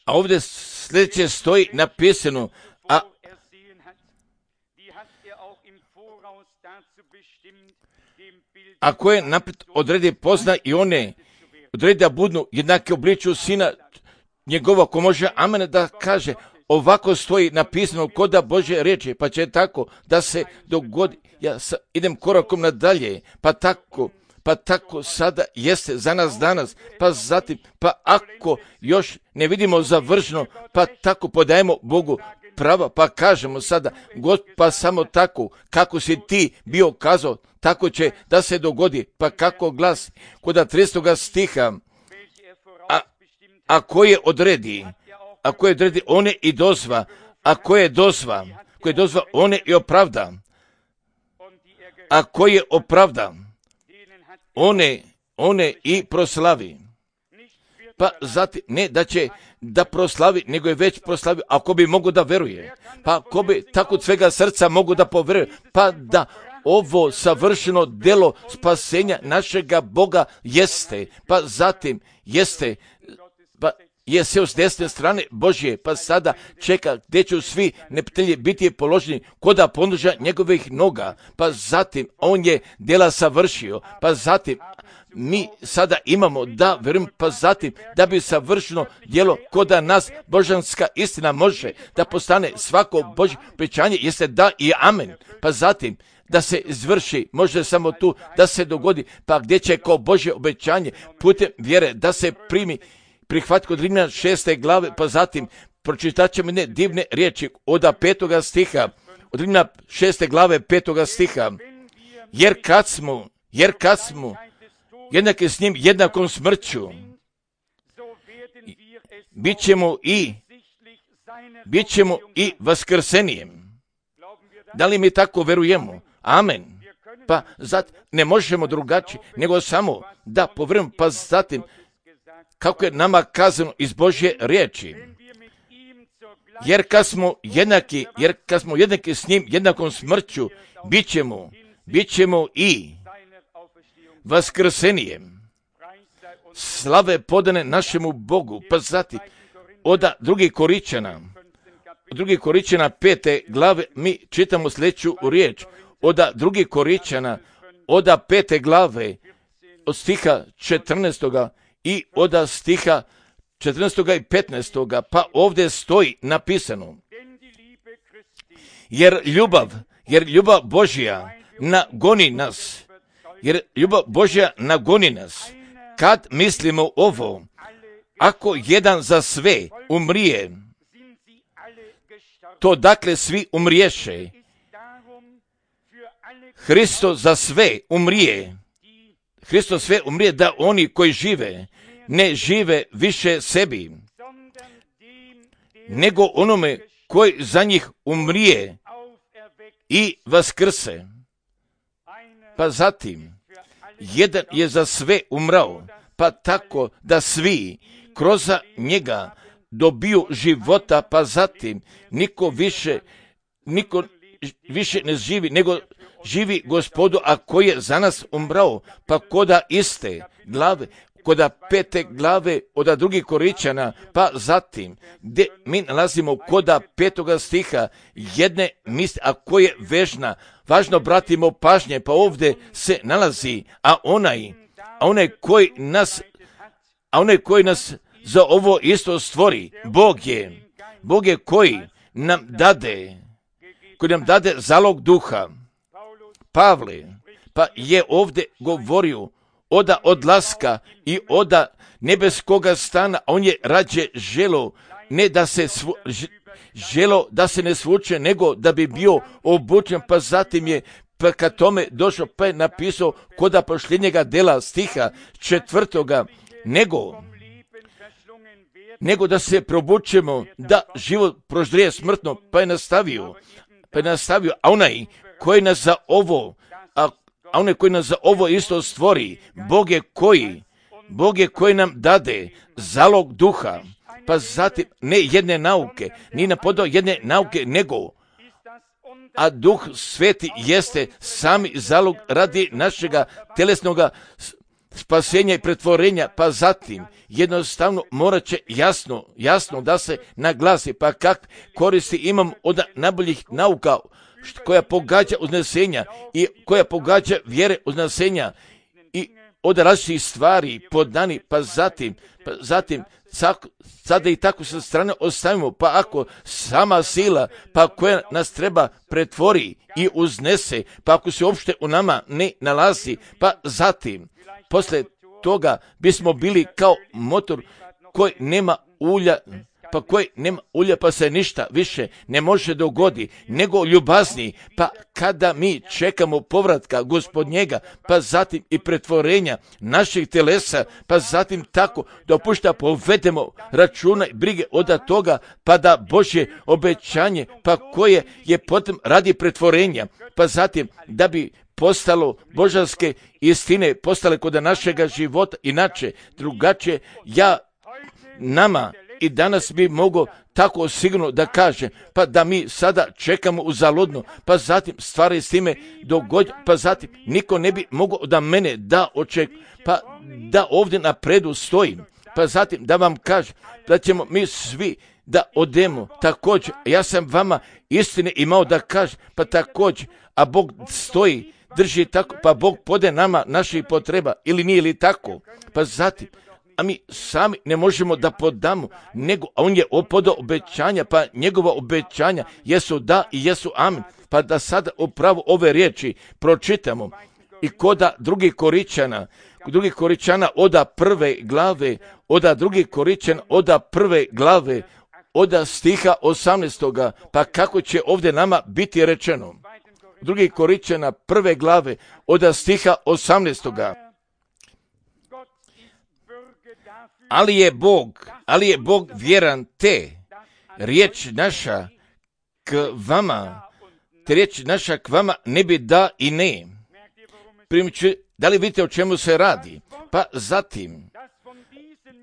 A ovdje sljedeće stoji napisano, a koje naprijed odredi pozna i one odredi da budu jednake obliču sina njegova, ko može amen da kaže. Ovako stoji napisano koda Božje riječi, pa će tako da se dogodi. Ja idem korakom nadalje, pa tako sada jeste za nas danas, pa zatim, pa ako još ne vidimo završeno, pa tako podajemo Bogu prava, pa kažemo sada, pa samo tako, kako si ti bio kazao, tako će da se dogodi, pa kako glasi, koda 30. stiha, a koje odredi, one i dozva, a koje dozva, one i opravda, a koje opravda, one i proslavi. Pa zatim, ne da će da proslavi, nego je već proslavio, ako bi mogo da veruje, pa ako bi tako od svega srca mogo da poveruje, pa da ovo savršeno delo spasenja našega Boga jeste, pa zatim jeste, pa je sjeo s desne strane Božje, pa sada čeka gdje će svi neprijatelji biti položeni koda ponuđa njegovih noga, pa zatim on je djela savršio, pa zatim mi sada imamo da verujem, pa zatim da bi savršeno djelo koda nas božanska istina može da postane svako Božje obećanje jeste da i amen, pa zatim da se izvrši, može samo tu da se dogodi, pa gdje će kao Božje obećanje putem vjere da se prihvati kod Rimljana 6. glave, pa zatim pročitat ćemo ne divne riječi od 5. stiha, od Rimljana 6. glave 5. stiha, jer kad smo jednaki s njim jednakom smrću, bit ćemo i vaskrsenijem. Da li mi tako verujemo? Amen. Pa zatim ne možemo drugačije, nego samo da povremeno, pa zatim kako je nama kazano iz Božje riječi. jer kad smo jednaki s njim, jednakom smrću, bit ćemo i vaskrsenijem. Slave podane našemu Bogu. Pa zatim, od drugih Koričana 5. glave, mi čitamo sljedeću riječ. Od drugih Koričana, od 5. glave, od stiha 14. i od stiha 14. i 15. Pa ovdje stoji napisano: jer ljubav Božja nagoni nas, kad mislimo ovo, ako jedan za sve umrije, to dakle svi umriješe. Hristos sve umrije da oni koji žive ne žive više sebi, nego onome koji za njih umrije i vaskrse. Pa zatim, jedan je za sve umrao, pa tako da svi kroz njega dobiju života, pa zatim niko više ne živi, nego živi Gospodu, a koji je za nas umrao. Pa koda iste glave, koda 5. glave od drugih Koričana, pa zatim gdje mi nalazimo koda 5. stiha jedne misli, a koje je važno obratimo pažnje, pa ovdje se nalazi, a onaj koji nas za ovo isto stvori, Bog je koji nam dade zalog duha. Pavle pa je ovdje govorio od odlaska i od nebeskoga stana, on je rađe želo da se ne svuče, nego da bi bio obučen, pa zatim je ka tome došao, pa je napisao koda posljednjega dela stiha 4. nego da se probučemo, da život proždrije smrtno, pa je nastavio, a onaj koji nas za ovo isto stvori, Bog je koji nam dade zalog duha, pa zatim ne jedne nauke, ni na podao jedne nauke, nego a Duh Sveti jeste sami zalog radi našega telesnoga spasenja i pretvorenja, pa zatim jednostavno morat će jasno da se naglasi, pa kak koristi imam od najboljih nauka koja pogađa uznesenja i koja pogađa vjere uznesenja i od različitih stvari podani, pa zatim sada i tako sa strane ostavimo, pa ako sama sila, pa koja nas treba pretvori i uznese, pa ako se uopšte u nama ne nalazi, pa zatim posle toga bismo bili kao motor koji nema ulja, pa se ništa više ne može dogoditi, nego ljubazni, pa kada mi čekamo povratka Gospodnjega, pa zatim i pretvorenja naših telesa, pa zatim tako dopušta povedemo računa i brige od toga, pa da Božje obećanje, pa koje je potom radi pretvorenja, pa zatim da bi postalo božanske istine, postale kod našega života, inače, drugačije, nama i danas bi mogo tako sigurno da kaže, pa da mi sada čekamo uzaludno, pa zatim stvari s time dogoditi, pa zatim niko ne bi mogao da mene da očekuje, pa da ovdje napredu stojim, pa zatim da vam kaže da ćemo mi svi da odemo također. Ja sam vama istine imao da kaže, pa također, a Bog stoji, drži tako, pa Bog pode nama naših potreba, ili nije li tako, pa zatim, a mi sami ne možemo da podamo, nego a on je podao obećanja, pa njegova obećanja jesu da i jesu amen, pa da sada upravo ove riječi pročitamo i koda drugih Koričana od 1. glave, od stiha 18. pa kako će ovdje nama biti rečeno. 2. Koričana 1. glave od stiha 18. Ali je Bog vjeran te riječ naša k vama ne bi da i ne. Da li vidite o čemu se radi? Pa zatim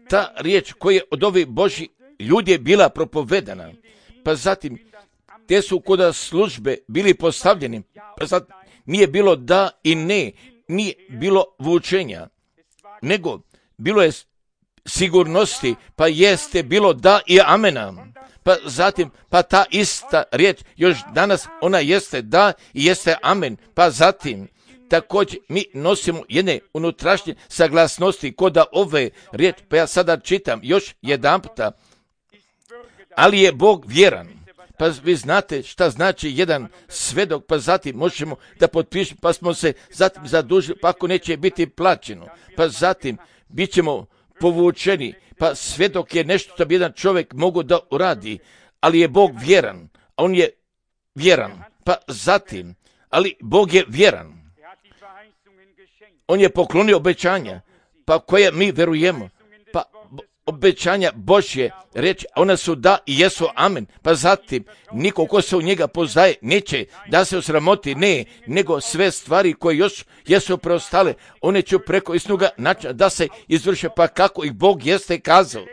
ta riječ koja je od ovih Božji ljudi je bila propovedana, pa zatim te su kod službe bili postavljeni, pa zatim nije bilo da i ne, nije bilo vučenja, nego bilo je sigurnosti, pa jeste bilo da i amena. Pa zatim, pa ta ista riječ, još danas ona jeste da i jeste amen. Pa zatim, također mi nosimo jedne unutrašnje saglasnosti kod ove riječi. Pa ja sada čitam još jedan puta. Ali je Bog vjeran. Pa vi znate šta znači jedan svedok, pa zatim možemo da potpišemo, pa smo se zatim zadužili, pa ako neće biti plaćeno. Pa zatim bit ćemo povučeni, pa svedok je nešto što bi jedan čovjek mogu da uradi, ali je Bog vjeran, a on je vjeran, pa zatim, ali Bog je vjeran. On je poklonio obećanja, pa koje mi verujemo, pa obećanja Božje reći, ona su da i jesu amen, pa zatim, niko ko se u njega poznaje neće da se osramoti, ne, nego sve stvari koje još jesu preostale, one će preko istinoga načina da se izvrše, pa kako ih Bog jeste kazao,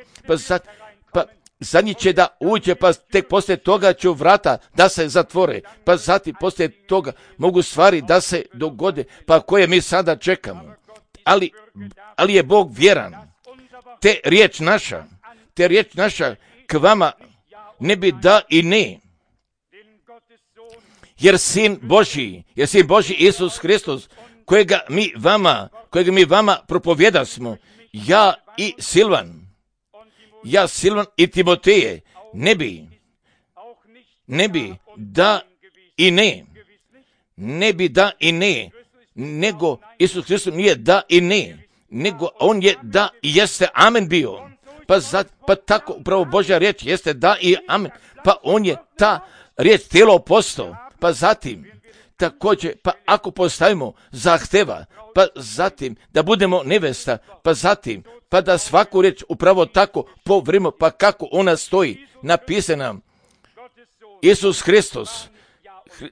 pa zadnji će da uđe, pa tek poslije toga će vrata da se zatvore, pa zatim poslije toga mogu stvari da se dogode, pa koje mi sada čekamo, ali je Bog vjeran. Te riječ naša k vama ne bi da i ne. Jer sin Božji Isus Hristos, kojega mi vama propovjedasmo, ja Silvan i Timoteje, ne bi da i ne, nego Isus Hristos nije da i ne, nego on je da i jeste amen bio. Pa tako upravo Božja riječ jeste da i amen. Pa on je ta riječ tijelo postao. Pa zatim također, pa ako postavimo zahteva, pa zatim da budemo nevesta, pa zatim pa da svaku riječ upravo tako povrimo, pa kako ona stoji napisana. Isus Hristos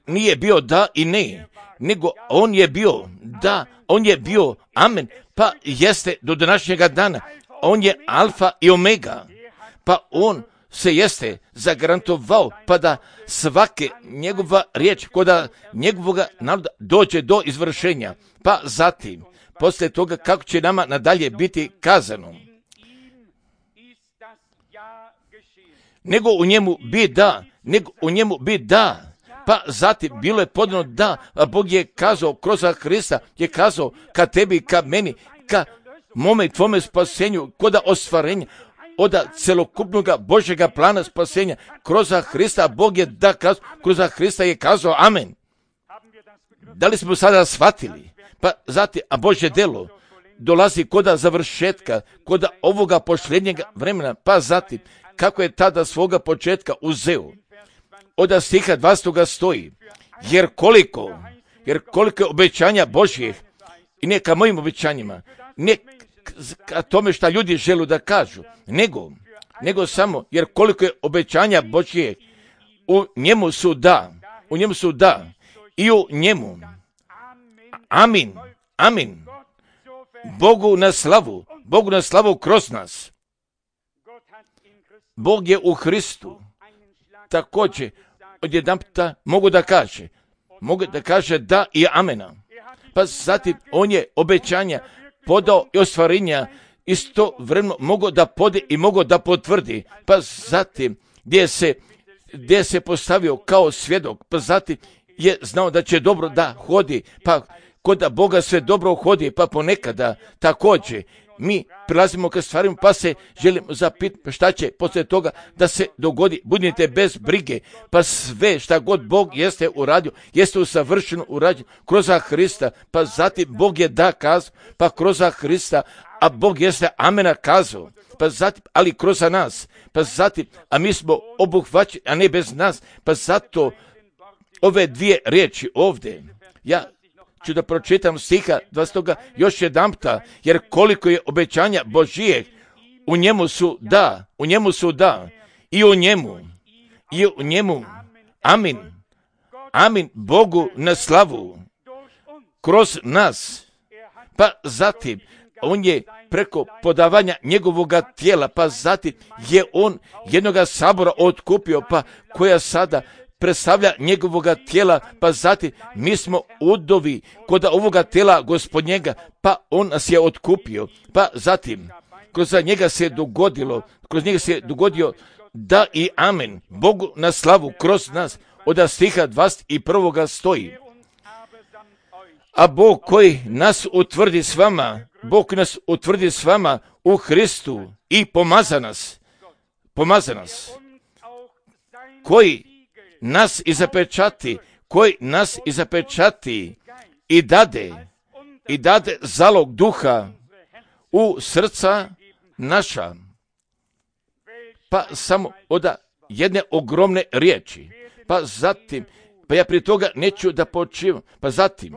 nije bio da i ne, nego on je bio da, on je bio amen, pa jeste do današnjega dana. On je alfa i omega, pa on se jeste zagarantovao, pa da svake njegova riječ kod njegovoga naroda dođe do izvršenja. Pa zatim, poslije toga kako će nama nadalje biti kazano. Nego u njemu bi da, pa zatim bilo je podano da, a Bog je kazao kroz Hrista, je kazao ka tebi, ka meni, ka mome i tvome spasenju, kod ostvarenja, od celokupnog Božjega plana spasenja, kroz Hrista, Bog je da kazao, kroz Hrista je kazao amen. Da li smo sada shvatili? Pa zatim, a Božje delo dolazi kod završetka, kod ovoga posljednjega vremena, pa zatim, kako je tada svoga početka uzeo. Od stiha 20. stoji, jer koliko je obećanja Božjih, i ne ka mojim obećanjima, ne ka tome šta ljudi žele da kažu, nego samo, jer koliko je obećanja Božjih, u njemu su da, i u njemu, amin, Bogu na slavu kroz nas. Bog je u Hristu, također, odjedan puta mogu da kaže da i amena. Pa zatim on je obećanja podao i ostvarenja isto vremeno mogu da pode i mogu da potvrdi. Pa zatim gdje se postavio kao svjedok, pa zatim je znao da će dobro da hodi, pa kod Boga sve dobro hodi, pa ponekada također mi prilazimo ka stvarima, pa se želimo zapitati šta će poslije toga da se dogodi. Budite bez brige, pa sve šta god Bog jeste uradio, jeste usavršeno urađeno kroz Hrista, pa zatim Bog je da kazao, pa kroz Hrista, a Bog jeste amena kazao, pa zatim, ali kroz nas, pa zatim, a mi smo obuhvaćeni, a ne bez nas, pa zato ove dvije riječi ovdje, ja ću da pročitam stiha 20. još jedan puta, jer koliko je obećanja Božijeg, u njemu su da, i u njemu, amin, Bogu na slavu, kroz nas, pa zatim, on je preko podavanja njegovoga tijela, pa zatim je on jednoga sabora otkupio, pa koja sada predstavlja njegovoga tijela, pa zatim mi smo udovi kod ovoga tijela gospodnjega, pa on nas je otkupio, pa zatim kroz njega se dogodio da i amen, Bogu na slavu kroz nas. Od stiha 21. stoji: a Bog koji nas utvrdi s vama u Hristu i pomaza nas, koji nas i zapečati i dade zalog duha u srca naša. Pa samo od jedne ogromne riječi. Pa zatim, ja prije toga neću da počivam. Pa zatim,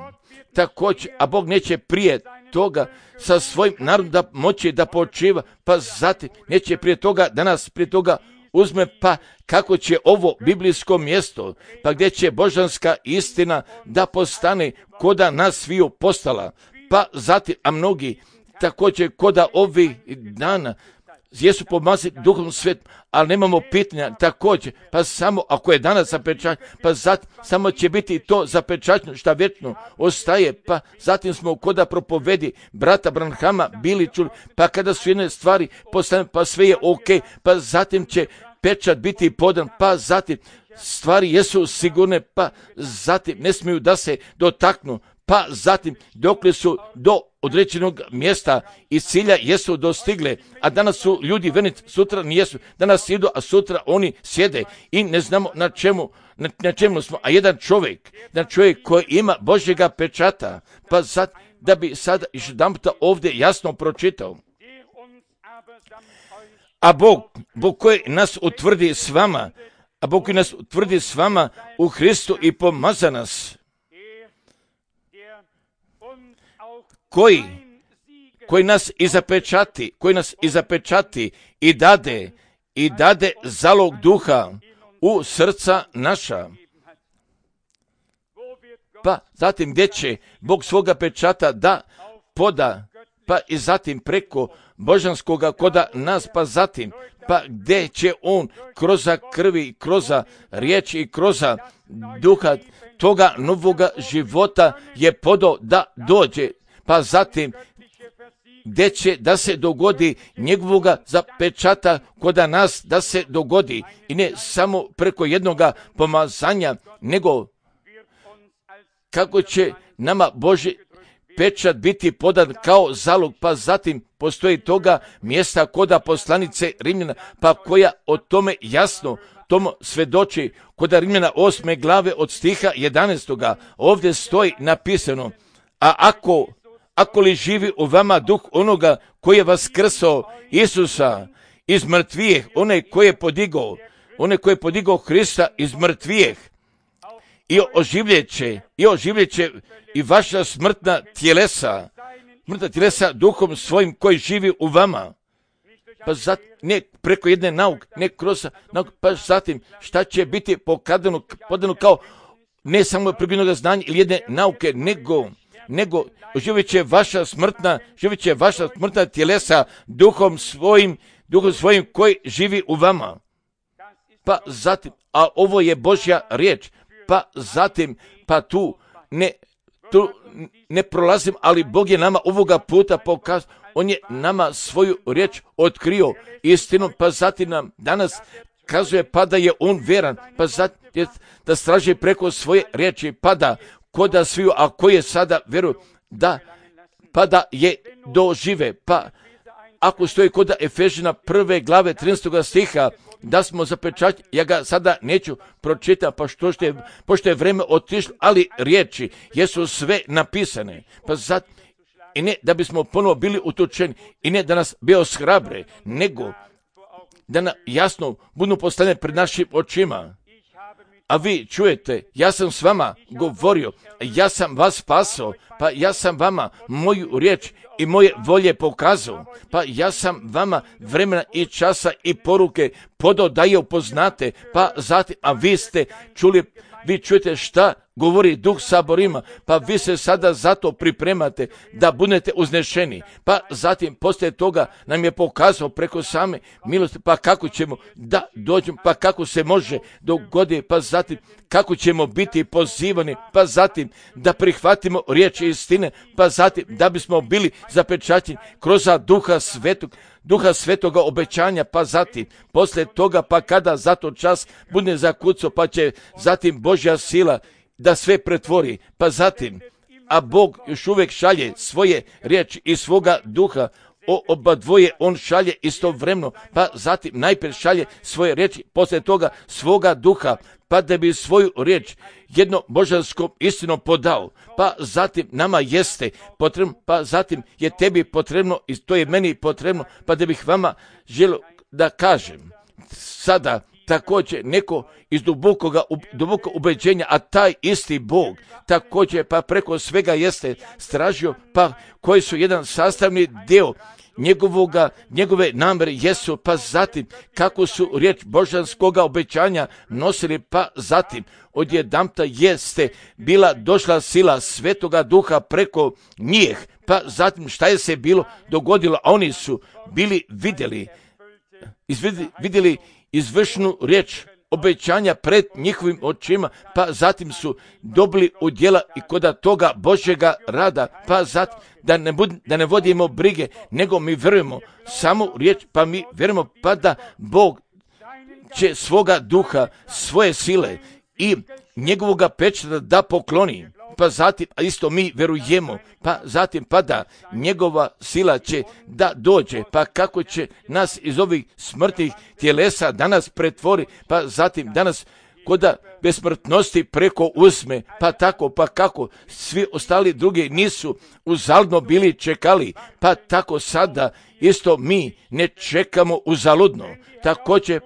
također, a Bog neće prije toga sa svojim narodom da moći da počiva. Pa zatim, neće prije toga da nas prije toga uzme, pa kako će ovo biblijsko mjesto, pa gdje će božanska istina da postane koda nas sviju postala. Pa zatim, a mnogi također koda ovih dana jesu pomazani Duhom Svetim, ali nemamo pitanja također, pa samo ako je danas zapečaćeno, pa zatim samo će biti to zapečaćeno šta vječno ostaje, pa zatim smo koda propovedi brata Branhama bili čuli, pa kada su jedne stvari postane, pa sve je ok, pa zatim će pečat biti podan, pa zatim stvari jesu sigurne, pa zatim ne smiju da se dotaknu, pa zatim dokle su do određenog mjesta i cilja jesu dostigle, a danas su ljudi vernici, sutra nijesu, danas idu, a sutra oni sjede i ne znamo na čemu smo, a jedan čovjek koji ima Božjega pečata, pa da bi sada još jedanputa ovdje jasno pročitao. A Bog koji nas utvrdi s vama, u Hristu i pomaza nas, koji nas i zapečati i dade zalog duha u srca naša. Pa zatim gdje će Bog svoga pečata da poda, pa i zatim preko božanskoga koda nas, pa zatim, pa gdje će on kroz krvi, kroz riječ i kroz duha toga novoga života je podao da dođe, pa zatim gdje će da se dogodi njegovoga zapečata koda nas da se dogodi i ne samo preko jednoga pomazanja, nego kako će nama Božji pečat biti podan kao zalog, pa zatim postoji toga mjesta koda poslanice Rimljana, pa koja o tome jasno tomu svedoči koda Rimljana 8. glave od stiha 11. ovdje stoji napisano: a ako li živi u vama duh onoga koji je vaskrsao Isusa iz mrtvijeh, onaj koji je podigao Hrista iz mrtvijeh i oživljeće i vaša smrtna tjelesa duhom svojim koji živi u vama. Pa zatim, ne preko jedne nauke, ne kroz nauku, pa zatim šta će biti podano kao ne samo pribjenog znanja ili jedne nauke, nego živjet će vaša smrtna tjelesa duhom svojim koji živi u vama. Pa zatim, a ovo je Božja riječ, pa zatim, pa tu ne prolazim, ali Bog je nama ovoga puta pokazao, on je nama svoju riječ otkrio istinom, pa zatim nam danas kazuje pa da je on vjeran, pa zatim da straži preko svoje riječi, pa da koda sviju, a koje sada vjeruju, pa da je dožive, pa ako stoji koda Efežina 1. glave 13. stiha, da smo zapečaćeni, ja ga sada neću pročitati, pošto je vreme otišlo, ali riječi jesu sve napisane, pa zato, i ne da bismo ponovo bili utučeni, i ne da nas bio shrabre, nego da nam jasno budu postavljene pred našim očima. A vi čujete, ja sam s vama govorio, ja sam vas spasao, pa ja sam vama moju riječ i moje volje pokazao, pa ja sam vama vremena i časa i poruke podao da je upoznate, pa zatim, a vi ste čuli, vi čujete šta govori Duh saborima, pa vi se sada zato pripremate da budete uznešeni. Pa zatim poslije toga nam je pokazao preko same milosti, pa kako ćemo da dođemo, pa kako se može dogoditi, pa zatim kako ćemo biti pozivani, pa zatim da prihvatimo riječ istine, pa zatim da bismo bili zapečaćeni kroz Duha Svetoga obećanja, pa zatim poslije toga, pa kada zato čas bude zakucao, pa će zatim Božja sila da sve pretvori, pa zatim, a Bog još uvijek šalje svoje riječi i svoga duha, oba dvoje on šalje istovremeno, pa zatim najprije šalje svoje riječi, poslije toga svoga duha, pa da bi svoju riječ jedno božanskom istinom podao, pa zatim nama jeste potrebno, pa zatim je tebi potrebno i to je meni potrebno, pa da bih vama želio da kažem sada također neko iz dubokog ubeđenja, a taj isti Bog također pa preko svega jeste stražio, pa koji su jedan sastavni dio njegove namere jesu, pa zatim kako su riječ božanskoga obećanja nosili, pa zatim odjedanput jeste bila došla sila Svetoga Duha preko njih, pa zatim šta je se bilo dogodilo, a oni su bili vidjeli izvršnu riječ obećanja pred njihovim očima, pa zatim su dobili udjela i kod toga Božjega rada, pa zatim da ne vodimo brige, nego mi vjerujemo samo riječ, pa mi vjerujemo pa da Bog će svoga duha, svoje sile i njegovoga pečata da pokloni, pa zatim, a isto mi vjerujemo, pa zatim pa da njegova sila će da dođe, pa kako će nas iz ovih smrtnih tjelesa danas pretvori, pa zatim danas koda besmrtnosti preko uzme, pa tako, pa kako svi ostali drugi nisu uzaludno bili čekali, pa tako sada isto mi ne čekamo uzaludno, također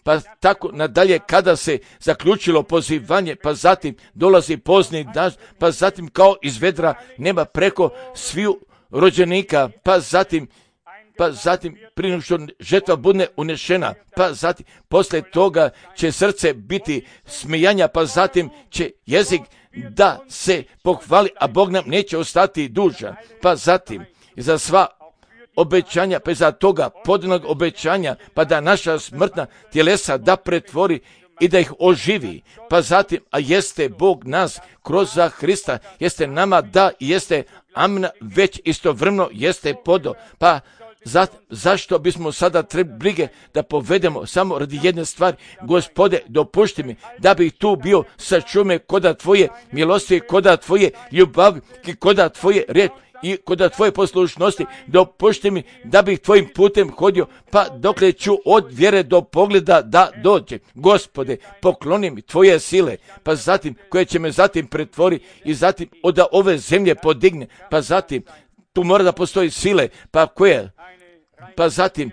pa tako nadalje kada se zaključilo pozivanje, pa zatim dolazi pozni dan, pa zatim kao iz vedra nema preko sviju rođenika, pa zatim prije nego što žetva bude unešena, pa zatim poslije toga će srce biti smijanja, pa zatim će jezik da se pohvali, a Bog nam neće ostati dužan, pa zatim za sva obećanja, pa za toga podijelnog obećanja, pa da naša smrtna tjelesa da pretvori i da ih oživi, pa zatim, a jeste Bog nas kroz za Hrista, jeste nama da i jeste amen, već istovremeno jeste podo, pa zašto bismo sada trebali brige da povedemo samo radi jedne stvari, Gospode, dopušti mi da bih tu bio, sačuvaj koda tvoje milosti, koda tvoje ljubavi, koda tvoje riječi i koda tvoje poslušnosti, dopušti mi da bih tvojim putem hodio, pa dokle ću od vjere do pogleda da dođe. Gospode, pokloni mi tvoje sile, pa zatim koje će me zatim pretvori i zatim od ove zemlje podigne, pa zatim tu mora da postoji sile, pa koje, pa zatim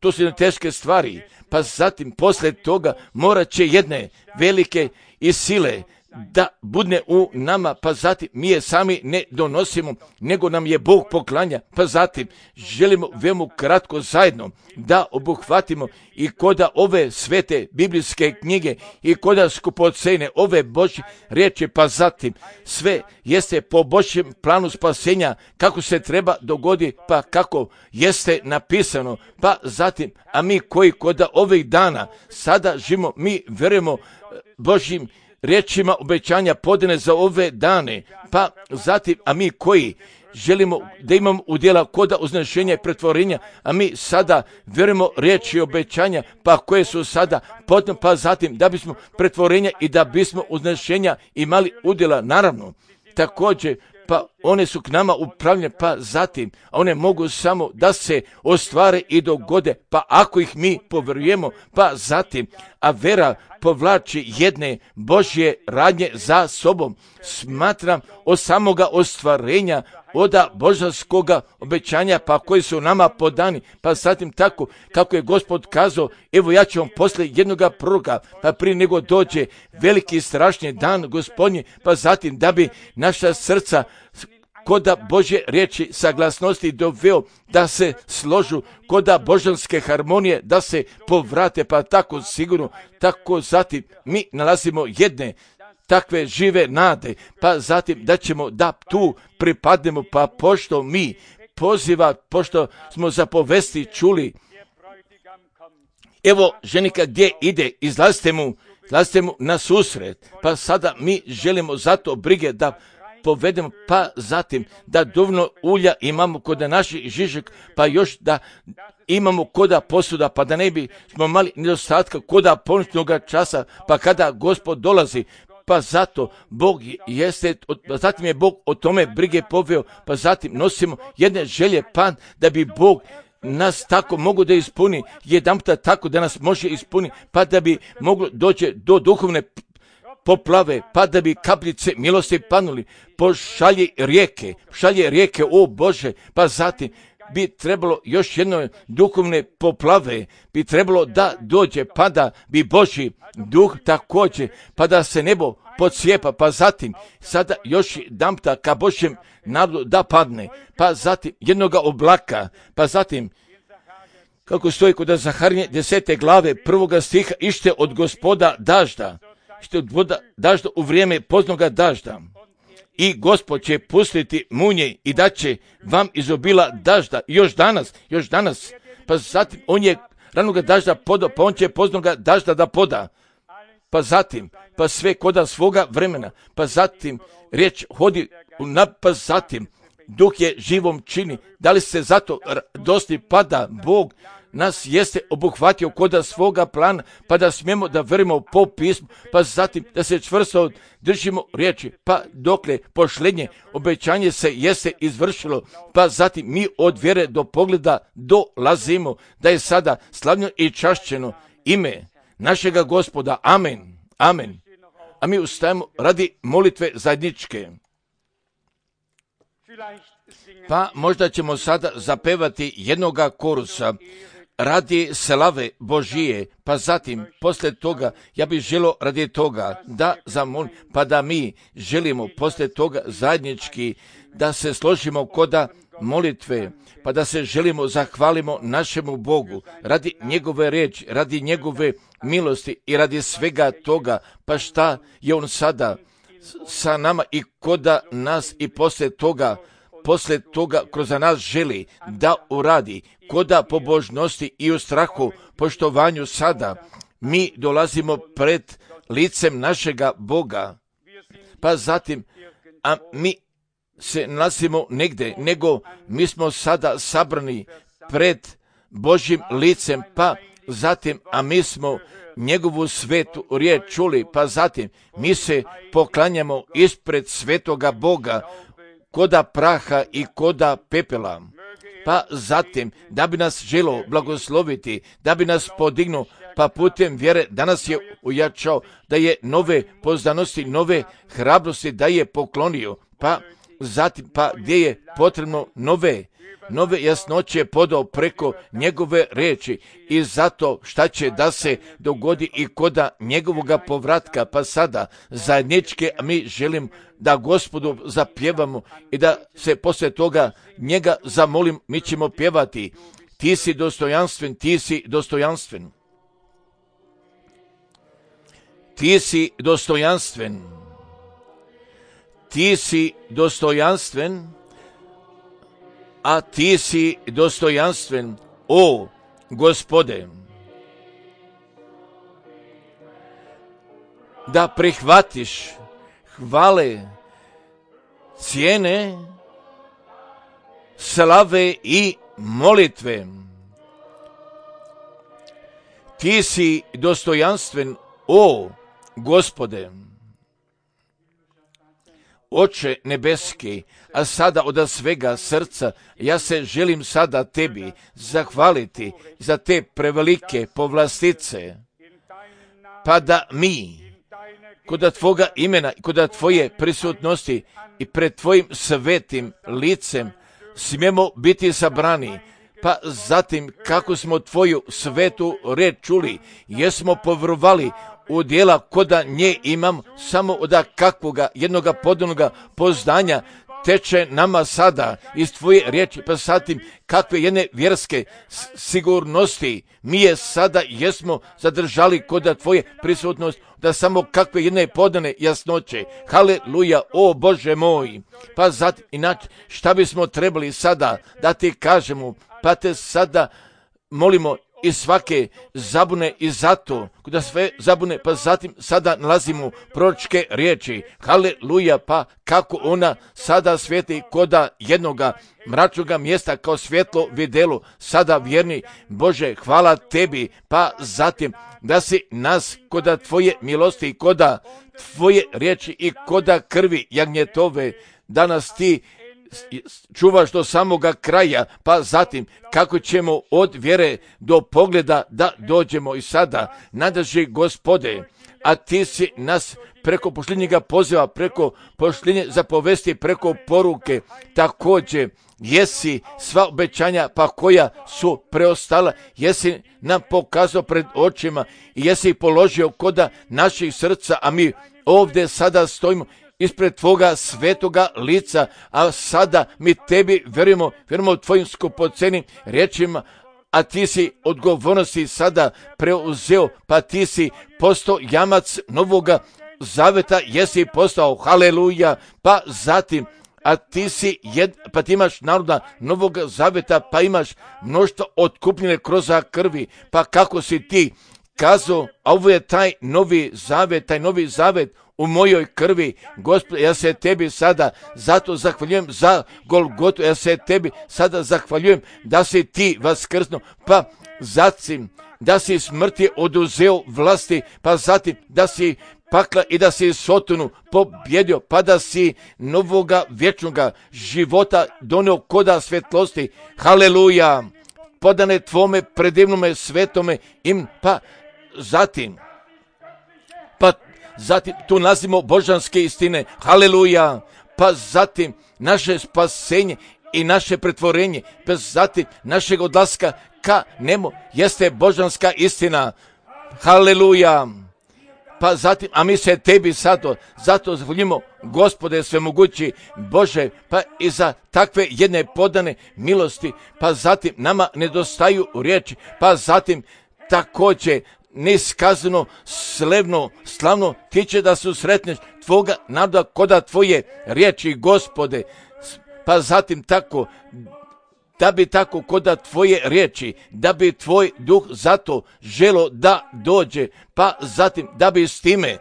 to su teške stvari, pa zatim poslije toga morat će jedne velike i sile da budne u nama, pa zatim mi je sami ne donosimo, nego nam je Bog poklanja, pa zatim želimo veoma kratko zajedno da obuhvatimo i koda ove svete biblijske knjige i koda skupocene ove Božje riječi, pa zatim sve jeste po Božjem planu spasenja kako se treba dogoditi, pa kako jeste napisano, pa zatim, a mi koji koda ovih dana sada živimo, mi vjerujemo Božjim riječima obećanja podane za ove dane, pa zatim, a mi koji želimo da imamo udjela koda uznešenja i pretvorenja, a mi sada vjerujemo riječi obećanja, pa koje su sada podane, pa zatim da bismo pretvorenja i da bismo uznešenja imali udjela, naravno, također, pa one su k nama upravljene, pa zatim, a one mogu samo da se ostvare i dogode, pa ako ih mi povjerujemo, pa zatim, a vera povlači jedne Božje radnje za sobom. Smatram od samoga ostvarenja, od božanskoga obećanja, pa koji su nama podani, pa zatim tako kako je Gospod kazao, evo ja ću vam poslije jednoga proroka, pa prije nego dođe veliki strašni dan Gospodnji, pa zatim da bi naša srca koda Božje riječi saglasnosti doveo da se složu, koda božanske harmonije da se povrate, pa tako sigurno, tako zatim mi nalazimo jedne takve žive nade, pa zatim da ćemo da tu pripadnemo, pa pošto mi poziva, pošto smo zapovesti čuli, evo ženika gdje ide, izlazite mu na susret, pa sada mi želimo zato brige da povedemo, pa zatim da dovoljno ulja imamo kod naših žižek, pa još da imamo koda posuda, pa da ne bi smo mali nedostatka koda ponoćnoga časa, pa kada Gospod dolazi, pa zato Bog jeste, zatim je Bog o tome brige poveo, pa zatim nosimo jedne želje, pa da bi Bog nas tako mogu da ispuni, jedanputa tako da nas može ispuni, pa da bi moglo doći do duhovne poplave, pa da bi kapljice milosti panuli, pošalje rijeke, o Bože, pa zatim bi trebalo još jedno duhovne poplave, bi trebalo da dođe, pa da bi Božji duh također, pa da se nebo podcijepa, pa zatim sada još jedanputa ka Božjem narodu da padne, pa zatim jednoga oblaka, pa zatim kako stoji kod Zaharije 10. glave 1. stiha, ište od Gospoda dažda, u vrijeme poznoga dažda. I Gospod će pustiti munje i da će vam izobila dažda. Još danas, pa zatim on je ranoga dažda podao, pa on će poznoga dažda da poda. Pa zatim, pa sve koda svoga vremena, pa zatim riječ hodi, pa zatim duh je živom čini. Da li se zato dosti pada Bog nas jeste obuhvatio koda svoga plana, pa da smijemo da verimo po pismu, pa zatim da se čvrsto držimo riječi, pa dokle pošlednje obećanje se jeste izvršilo, pa zatim mi od vjere do pogleda dolazimo, da je sada slavno i čašćeno ime našega Gospoda. Amen. Amen. A mi ustajemo radi molitve zajedničke. Pa možda ćemo sada zapevati jednoga korusa radi slave Božije, pa zatim poslije toga ja bih želio radi toga da zamolim, pa da mi želimo poslije toga zajednički da se složimo koda molitve, pa da se želimo zahvalimo našemu Bogu radi njegove riječi, radi njegove milosti i radi svega toga, pa šta je on sada sa nama i koda nas i poslije toga kroz nas želi da uradi, koda pobožnosti i u strahu, poštovanju sada mi dolazimo pred licem našega Boga, pa zatim, a mi se nalazimo negdje, nego mi smo sada sabrani pred Božjim licem, pa zatim, a mi smo njegovu svetu riječ čuli, pa zatim mi se poklanjamo ispred svetoga Boga, koda praha i koda pepela, pa zatim da bi nas želo blagosloviti, da bi nas podignuo, pa putem vjere danas je ujačao, da je nove poznanosti, nove hrabrosti da je poklonio, pa zatim pa gdje je potrebno nove jasnoće podao preko njegove riječi i zato šta će da se dogodi i koda njegovoga povratka, pa sada zajedničke mi želim da Gospodu zapjevamo i da se poslije toga njega zamolim, mi ćemo pjevati. Ti si dostojanstven, ti si dostojanstven. Ti si dostojanstven. Ti si dostojanstven, a ti si dostojanstven, o Gospode. Da prihvatiš hvale, cijene, slave i molitve. Ti si dostojanstven, o Gospode. Oče nebeski, a sada od svega srca ja se želim sada tebi zahvaliti za te prevelike povlastice, pa da mi kod tvoga imena i kod tvoje prisutnosti i pred tvojim svetim licem smijemo biti sabrani, pa zatim kako smo tvoju svetu riječ čuli, jesmo povjerovali u djela koda nje imam samo od kakvoga jednoga podobnoga poznanja teče nama sada iz tvoje riječi, pa zatim kakve jedne vjerske sigurnosti mi je sada jesmo zadržali kod tvoje prisutnosti, da samo kakve jedne podane jasnoće. Haleluja, o Bože moj. Pa zatim, inače, šta bismo trebali sada da ti kažemo, pa te sada molimo i svake zabune i zato, kada sve zabune, pa zatim sada nalazimo proročke riječi. Haleluja, pa kako ona sada svijeti koda jednoga mračnoga mjesta kao svjetlo vidjelo, sada vjerni Bože, hvala tebi, pa zatim da si nas koda tvoje milosti, koda tvoje riječi i koda krvi jagnjetove, da nas ti čuvaš do samoga kraja, pa zatim kako ćemo od vjere do pogleda da dođemo i sada, nadrži Gospode, a ti si nas preko pošljenjega poziva, preko pošljenje zapovesti, preko poruke, također jesi sva obećanja pa koja su preostala, jesi nam pokazao pred očima i jesi ih položio koda naših srca, a mi ovdje sada stojimo ispred tvoga svetoga lica, a sada mi tebi vjerujemo tvojim skupocenim riječima, a ti si odgovornosti sada preuzeo, pa ti si postao jamac novoga zaveta, jesi postao, haleluja, pa zatim, a ti si pa ti imaš naroda novog zaveta, pa imaš mnoštvo otkupljene kroz krvi, pa kako si ti kazao, a ovo je taj novi zavet u mojoj krvi. Gospod, ja se tebi sada zato zahvaljujem za Golgotu, ja se tebi sada zahvaljujem da si ti vaskrsnuo, pa zatim da si smrti oduzeo vlasti, pa zatim da si pakla i da si Sotonu pobjedio, pa da si novoga vječnoga života donio koda svjetlosti. Haleluja, podane tvome predivnome svetome im, pa zatim tu nalazimo božanske istine, haleluja, pa zatim naše spasenje i naše pretvorenje, pa zatim našeg odlaska ka nemu jeste božanska istina, haleluja, pa zatim, a mi se tebi zato zahvaljujemo, Gospode svemogući Bože, pa i za takve jedne podane milosti, pa zatim nama nedostaju riječi, pa zatim također neiskazano, slavno tiče da su sretneš tvoga naroda koda tvoje riječi, Gospode, pa zatim tako, da bi tako koda tvoje riječi, da bi tvoj duh zato želo da dođe, pa zatim da bi s time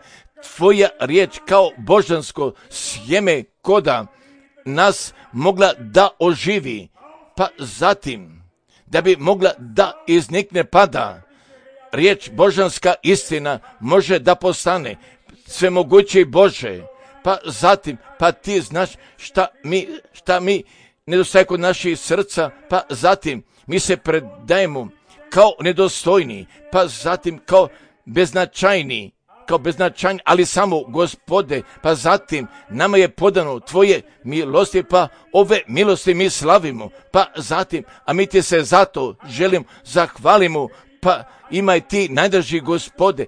tvoja riječ kao božansko sjeme koda nas mogla da oživi, pa zatim da bi mogla da iznikne pada. Riječ božanska istina može da postane svemogući Bože, pa zatim, pa ti znaš šta mi nedostaje kod naših srca, pa zatim mi se predajemo kao nedostojni, pa zatim kao beznačajni, ali samo Gospode, pa zatim nama je podano tvoje milosti, pa ove milosti mi slavimo, pa zatim, a mi ti se zato zahvalimo, pa imaj ti najdraži Gospode,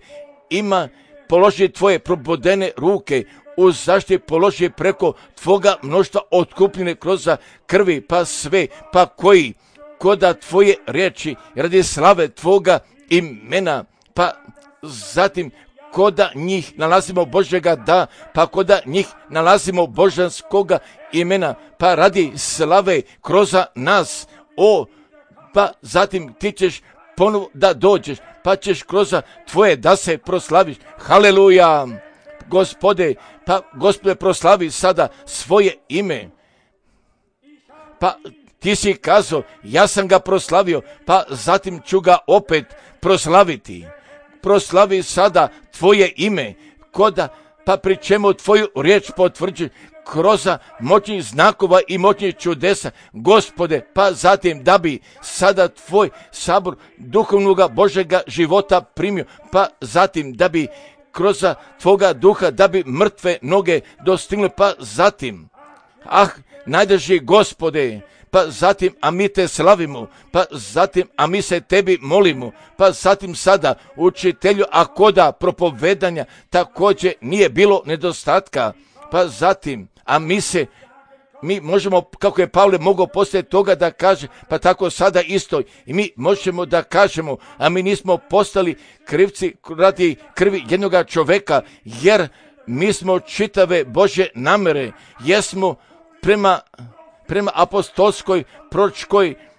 položi tvoje probodene ruke, u zaštiti položi preko tvoga mnoštva otkupljene kroz krvi, pa sve, pa koji koda tvoje riječi radi slave tvoga imena, pa zatim koda njih nalazimo Božjega da, pa koda njih nalazimo božanskoga imena, pa radi slave kroz nas, pa zatim ti ćeš ponovo da dođeš, pa ćeš kroz tvoje da se proslaviš. Haleluja, Gospode, pa Gospode proslavi sada svoje ime. Pa ti si kazao, ja sam ga proslavio, pa zatim ću ga opet proslaviti. Proslavi sada tvoje ime, pa pri čemu tvoju riječ potvrđi kroz moćnih znakova i moćnih čudesa, Gospode, pa zatim da bi sada tvoj sabor duhovnoga Božega života primio, pa zatim da bi kroz tvoga duha, da bi mrtve noge dostigle, pa zatim, najdraži Gospode, pa zatim, a mi te slavimo, pa zatim, a mi se tebi molimo, pa zatim sada, učitelju, a koda propovedanja mi možemo, kako je Pavle mogao poslije toga da kaže, pa tako sada isto i mi možemo da kažemo, a mi nismo postali krivci radi krvi jednoga čoveka, jer mi smo čitave Božje namere, jesmo prema apostolskoj,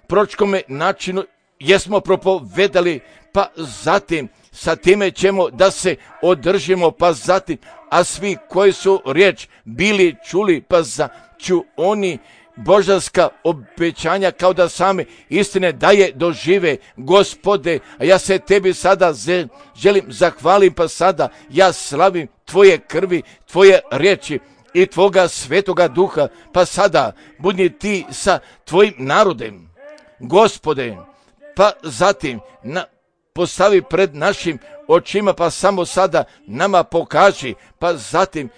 proročkome načinu, jesmo propovedali, pa zatim sa time ćemo da se održimo, pa zatim, a svi koji su riječ bili čuli, pa ću oni božanska obećanja kao da same istine daje dožive, Gospode, a ja se tebi sada želim zahvalim, pa sada ja slavim tvoje krvi, tvoje riječi i tvoga svetoga duha, pa sada budi ti sa tvojim narodem, Gospode, pa zatim postavi pred našim očima, pa samo sada nama pokaži, pa zatim,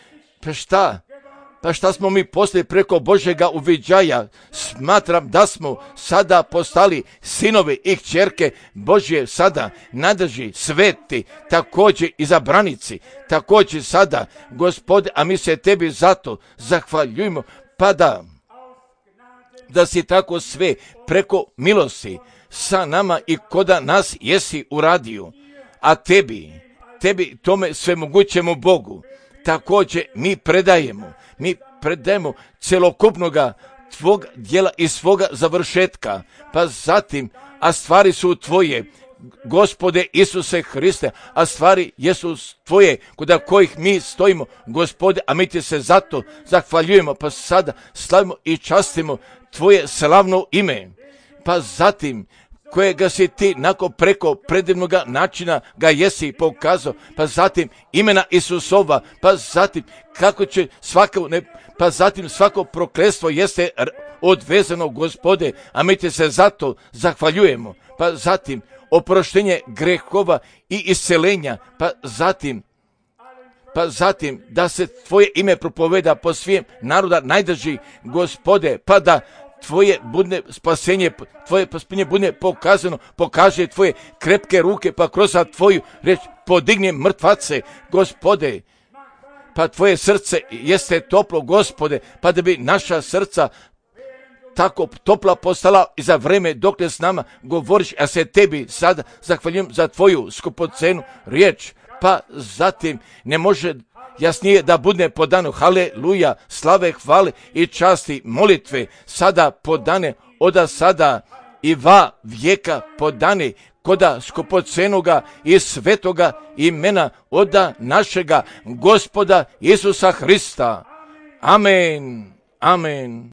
pa šta smo mi poslije preko Božjega uviđaja, smatram da smo sada postali sinovi i kćerke Božje, sada nadrži sveti, također izabranici, također sada, Gospode, a mi se tebi zato zahvaljujemo, pa da si tako sve preko milosti sa nama i koda nas jesi uradio, a tebi tome svemogućemu Bogu, također mi predajemo celokupnoga tvog djela i svoga završetka, pa zatim, a stvari su tvoje, Gospode Isuse Hriste, a stvari jesu tvoje, kod kojih mi stojimo, Gospode, a mi ti se zato zahvaljujemo, pa sada slavimo i častimo tvoje slavno ime, pa zatim, kojega si ti preko predivnoga načina ga jesi pokazao, pa zatim imena Isusova, pa zatim kako će svako prokletstvo jeste odvezano, Gospode, a mi ti se zato zahvaljujemo, pa zatim oproštenje grehova i iscelenja, pa zatim da se tvoje ime propoveda po svijem naroda najdrži, Gospode, pa da tvoje spasenje bude pokazano, pokaže tvoje krepke ruke, pa kroz tvoju reč podigne mrtvace, Gospode, pa tvoje srce jeste toplo, Gospode, pa da bi naša srca tako topla postala i za vreme dok s nama govoriš, a se tebi sada zahvaljujem za tvoju skupocenu riječ, pa zatim ne može jasnije da bude podano, haleluja, slave, hvale i časti, molitve, sada podane, oda sada i va vijeka podane, koda skupocenoga i svetoga imena oda našega Gospoda Isusa Hrista. Amen. Amen.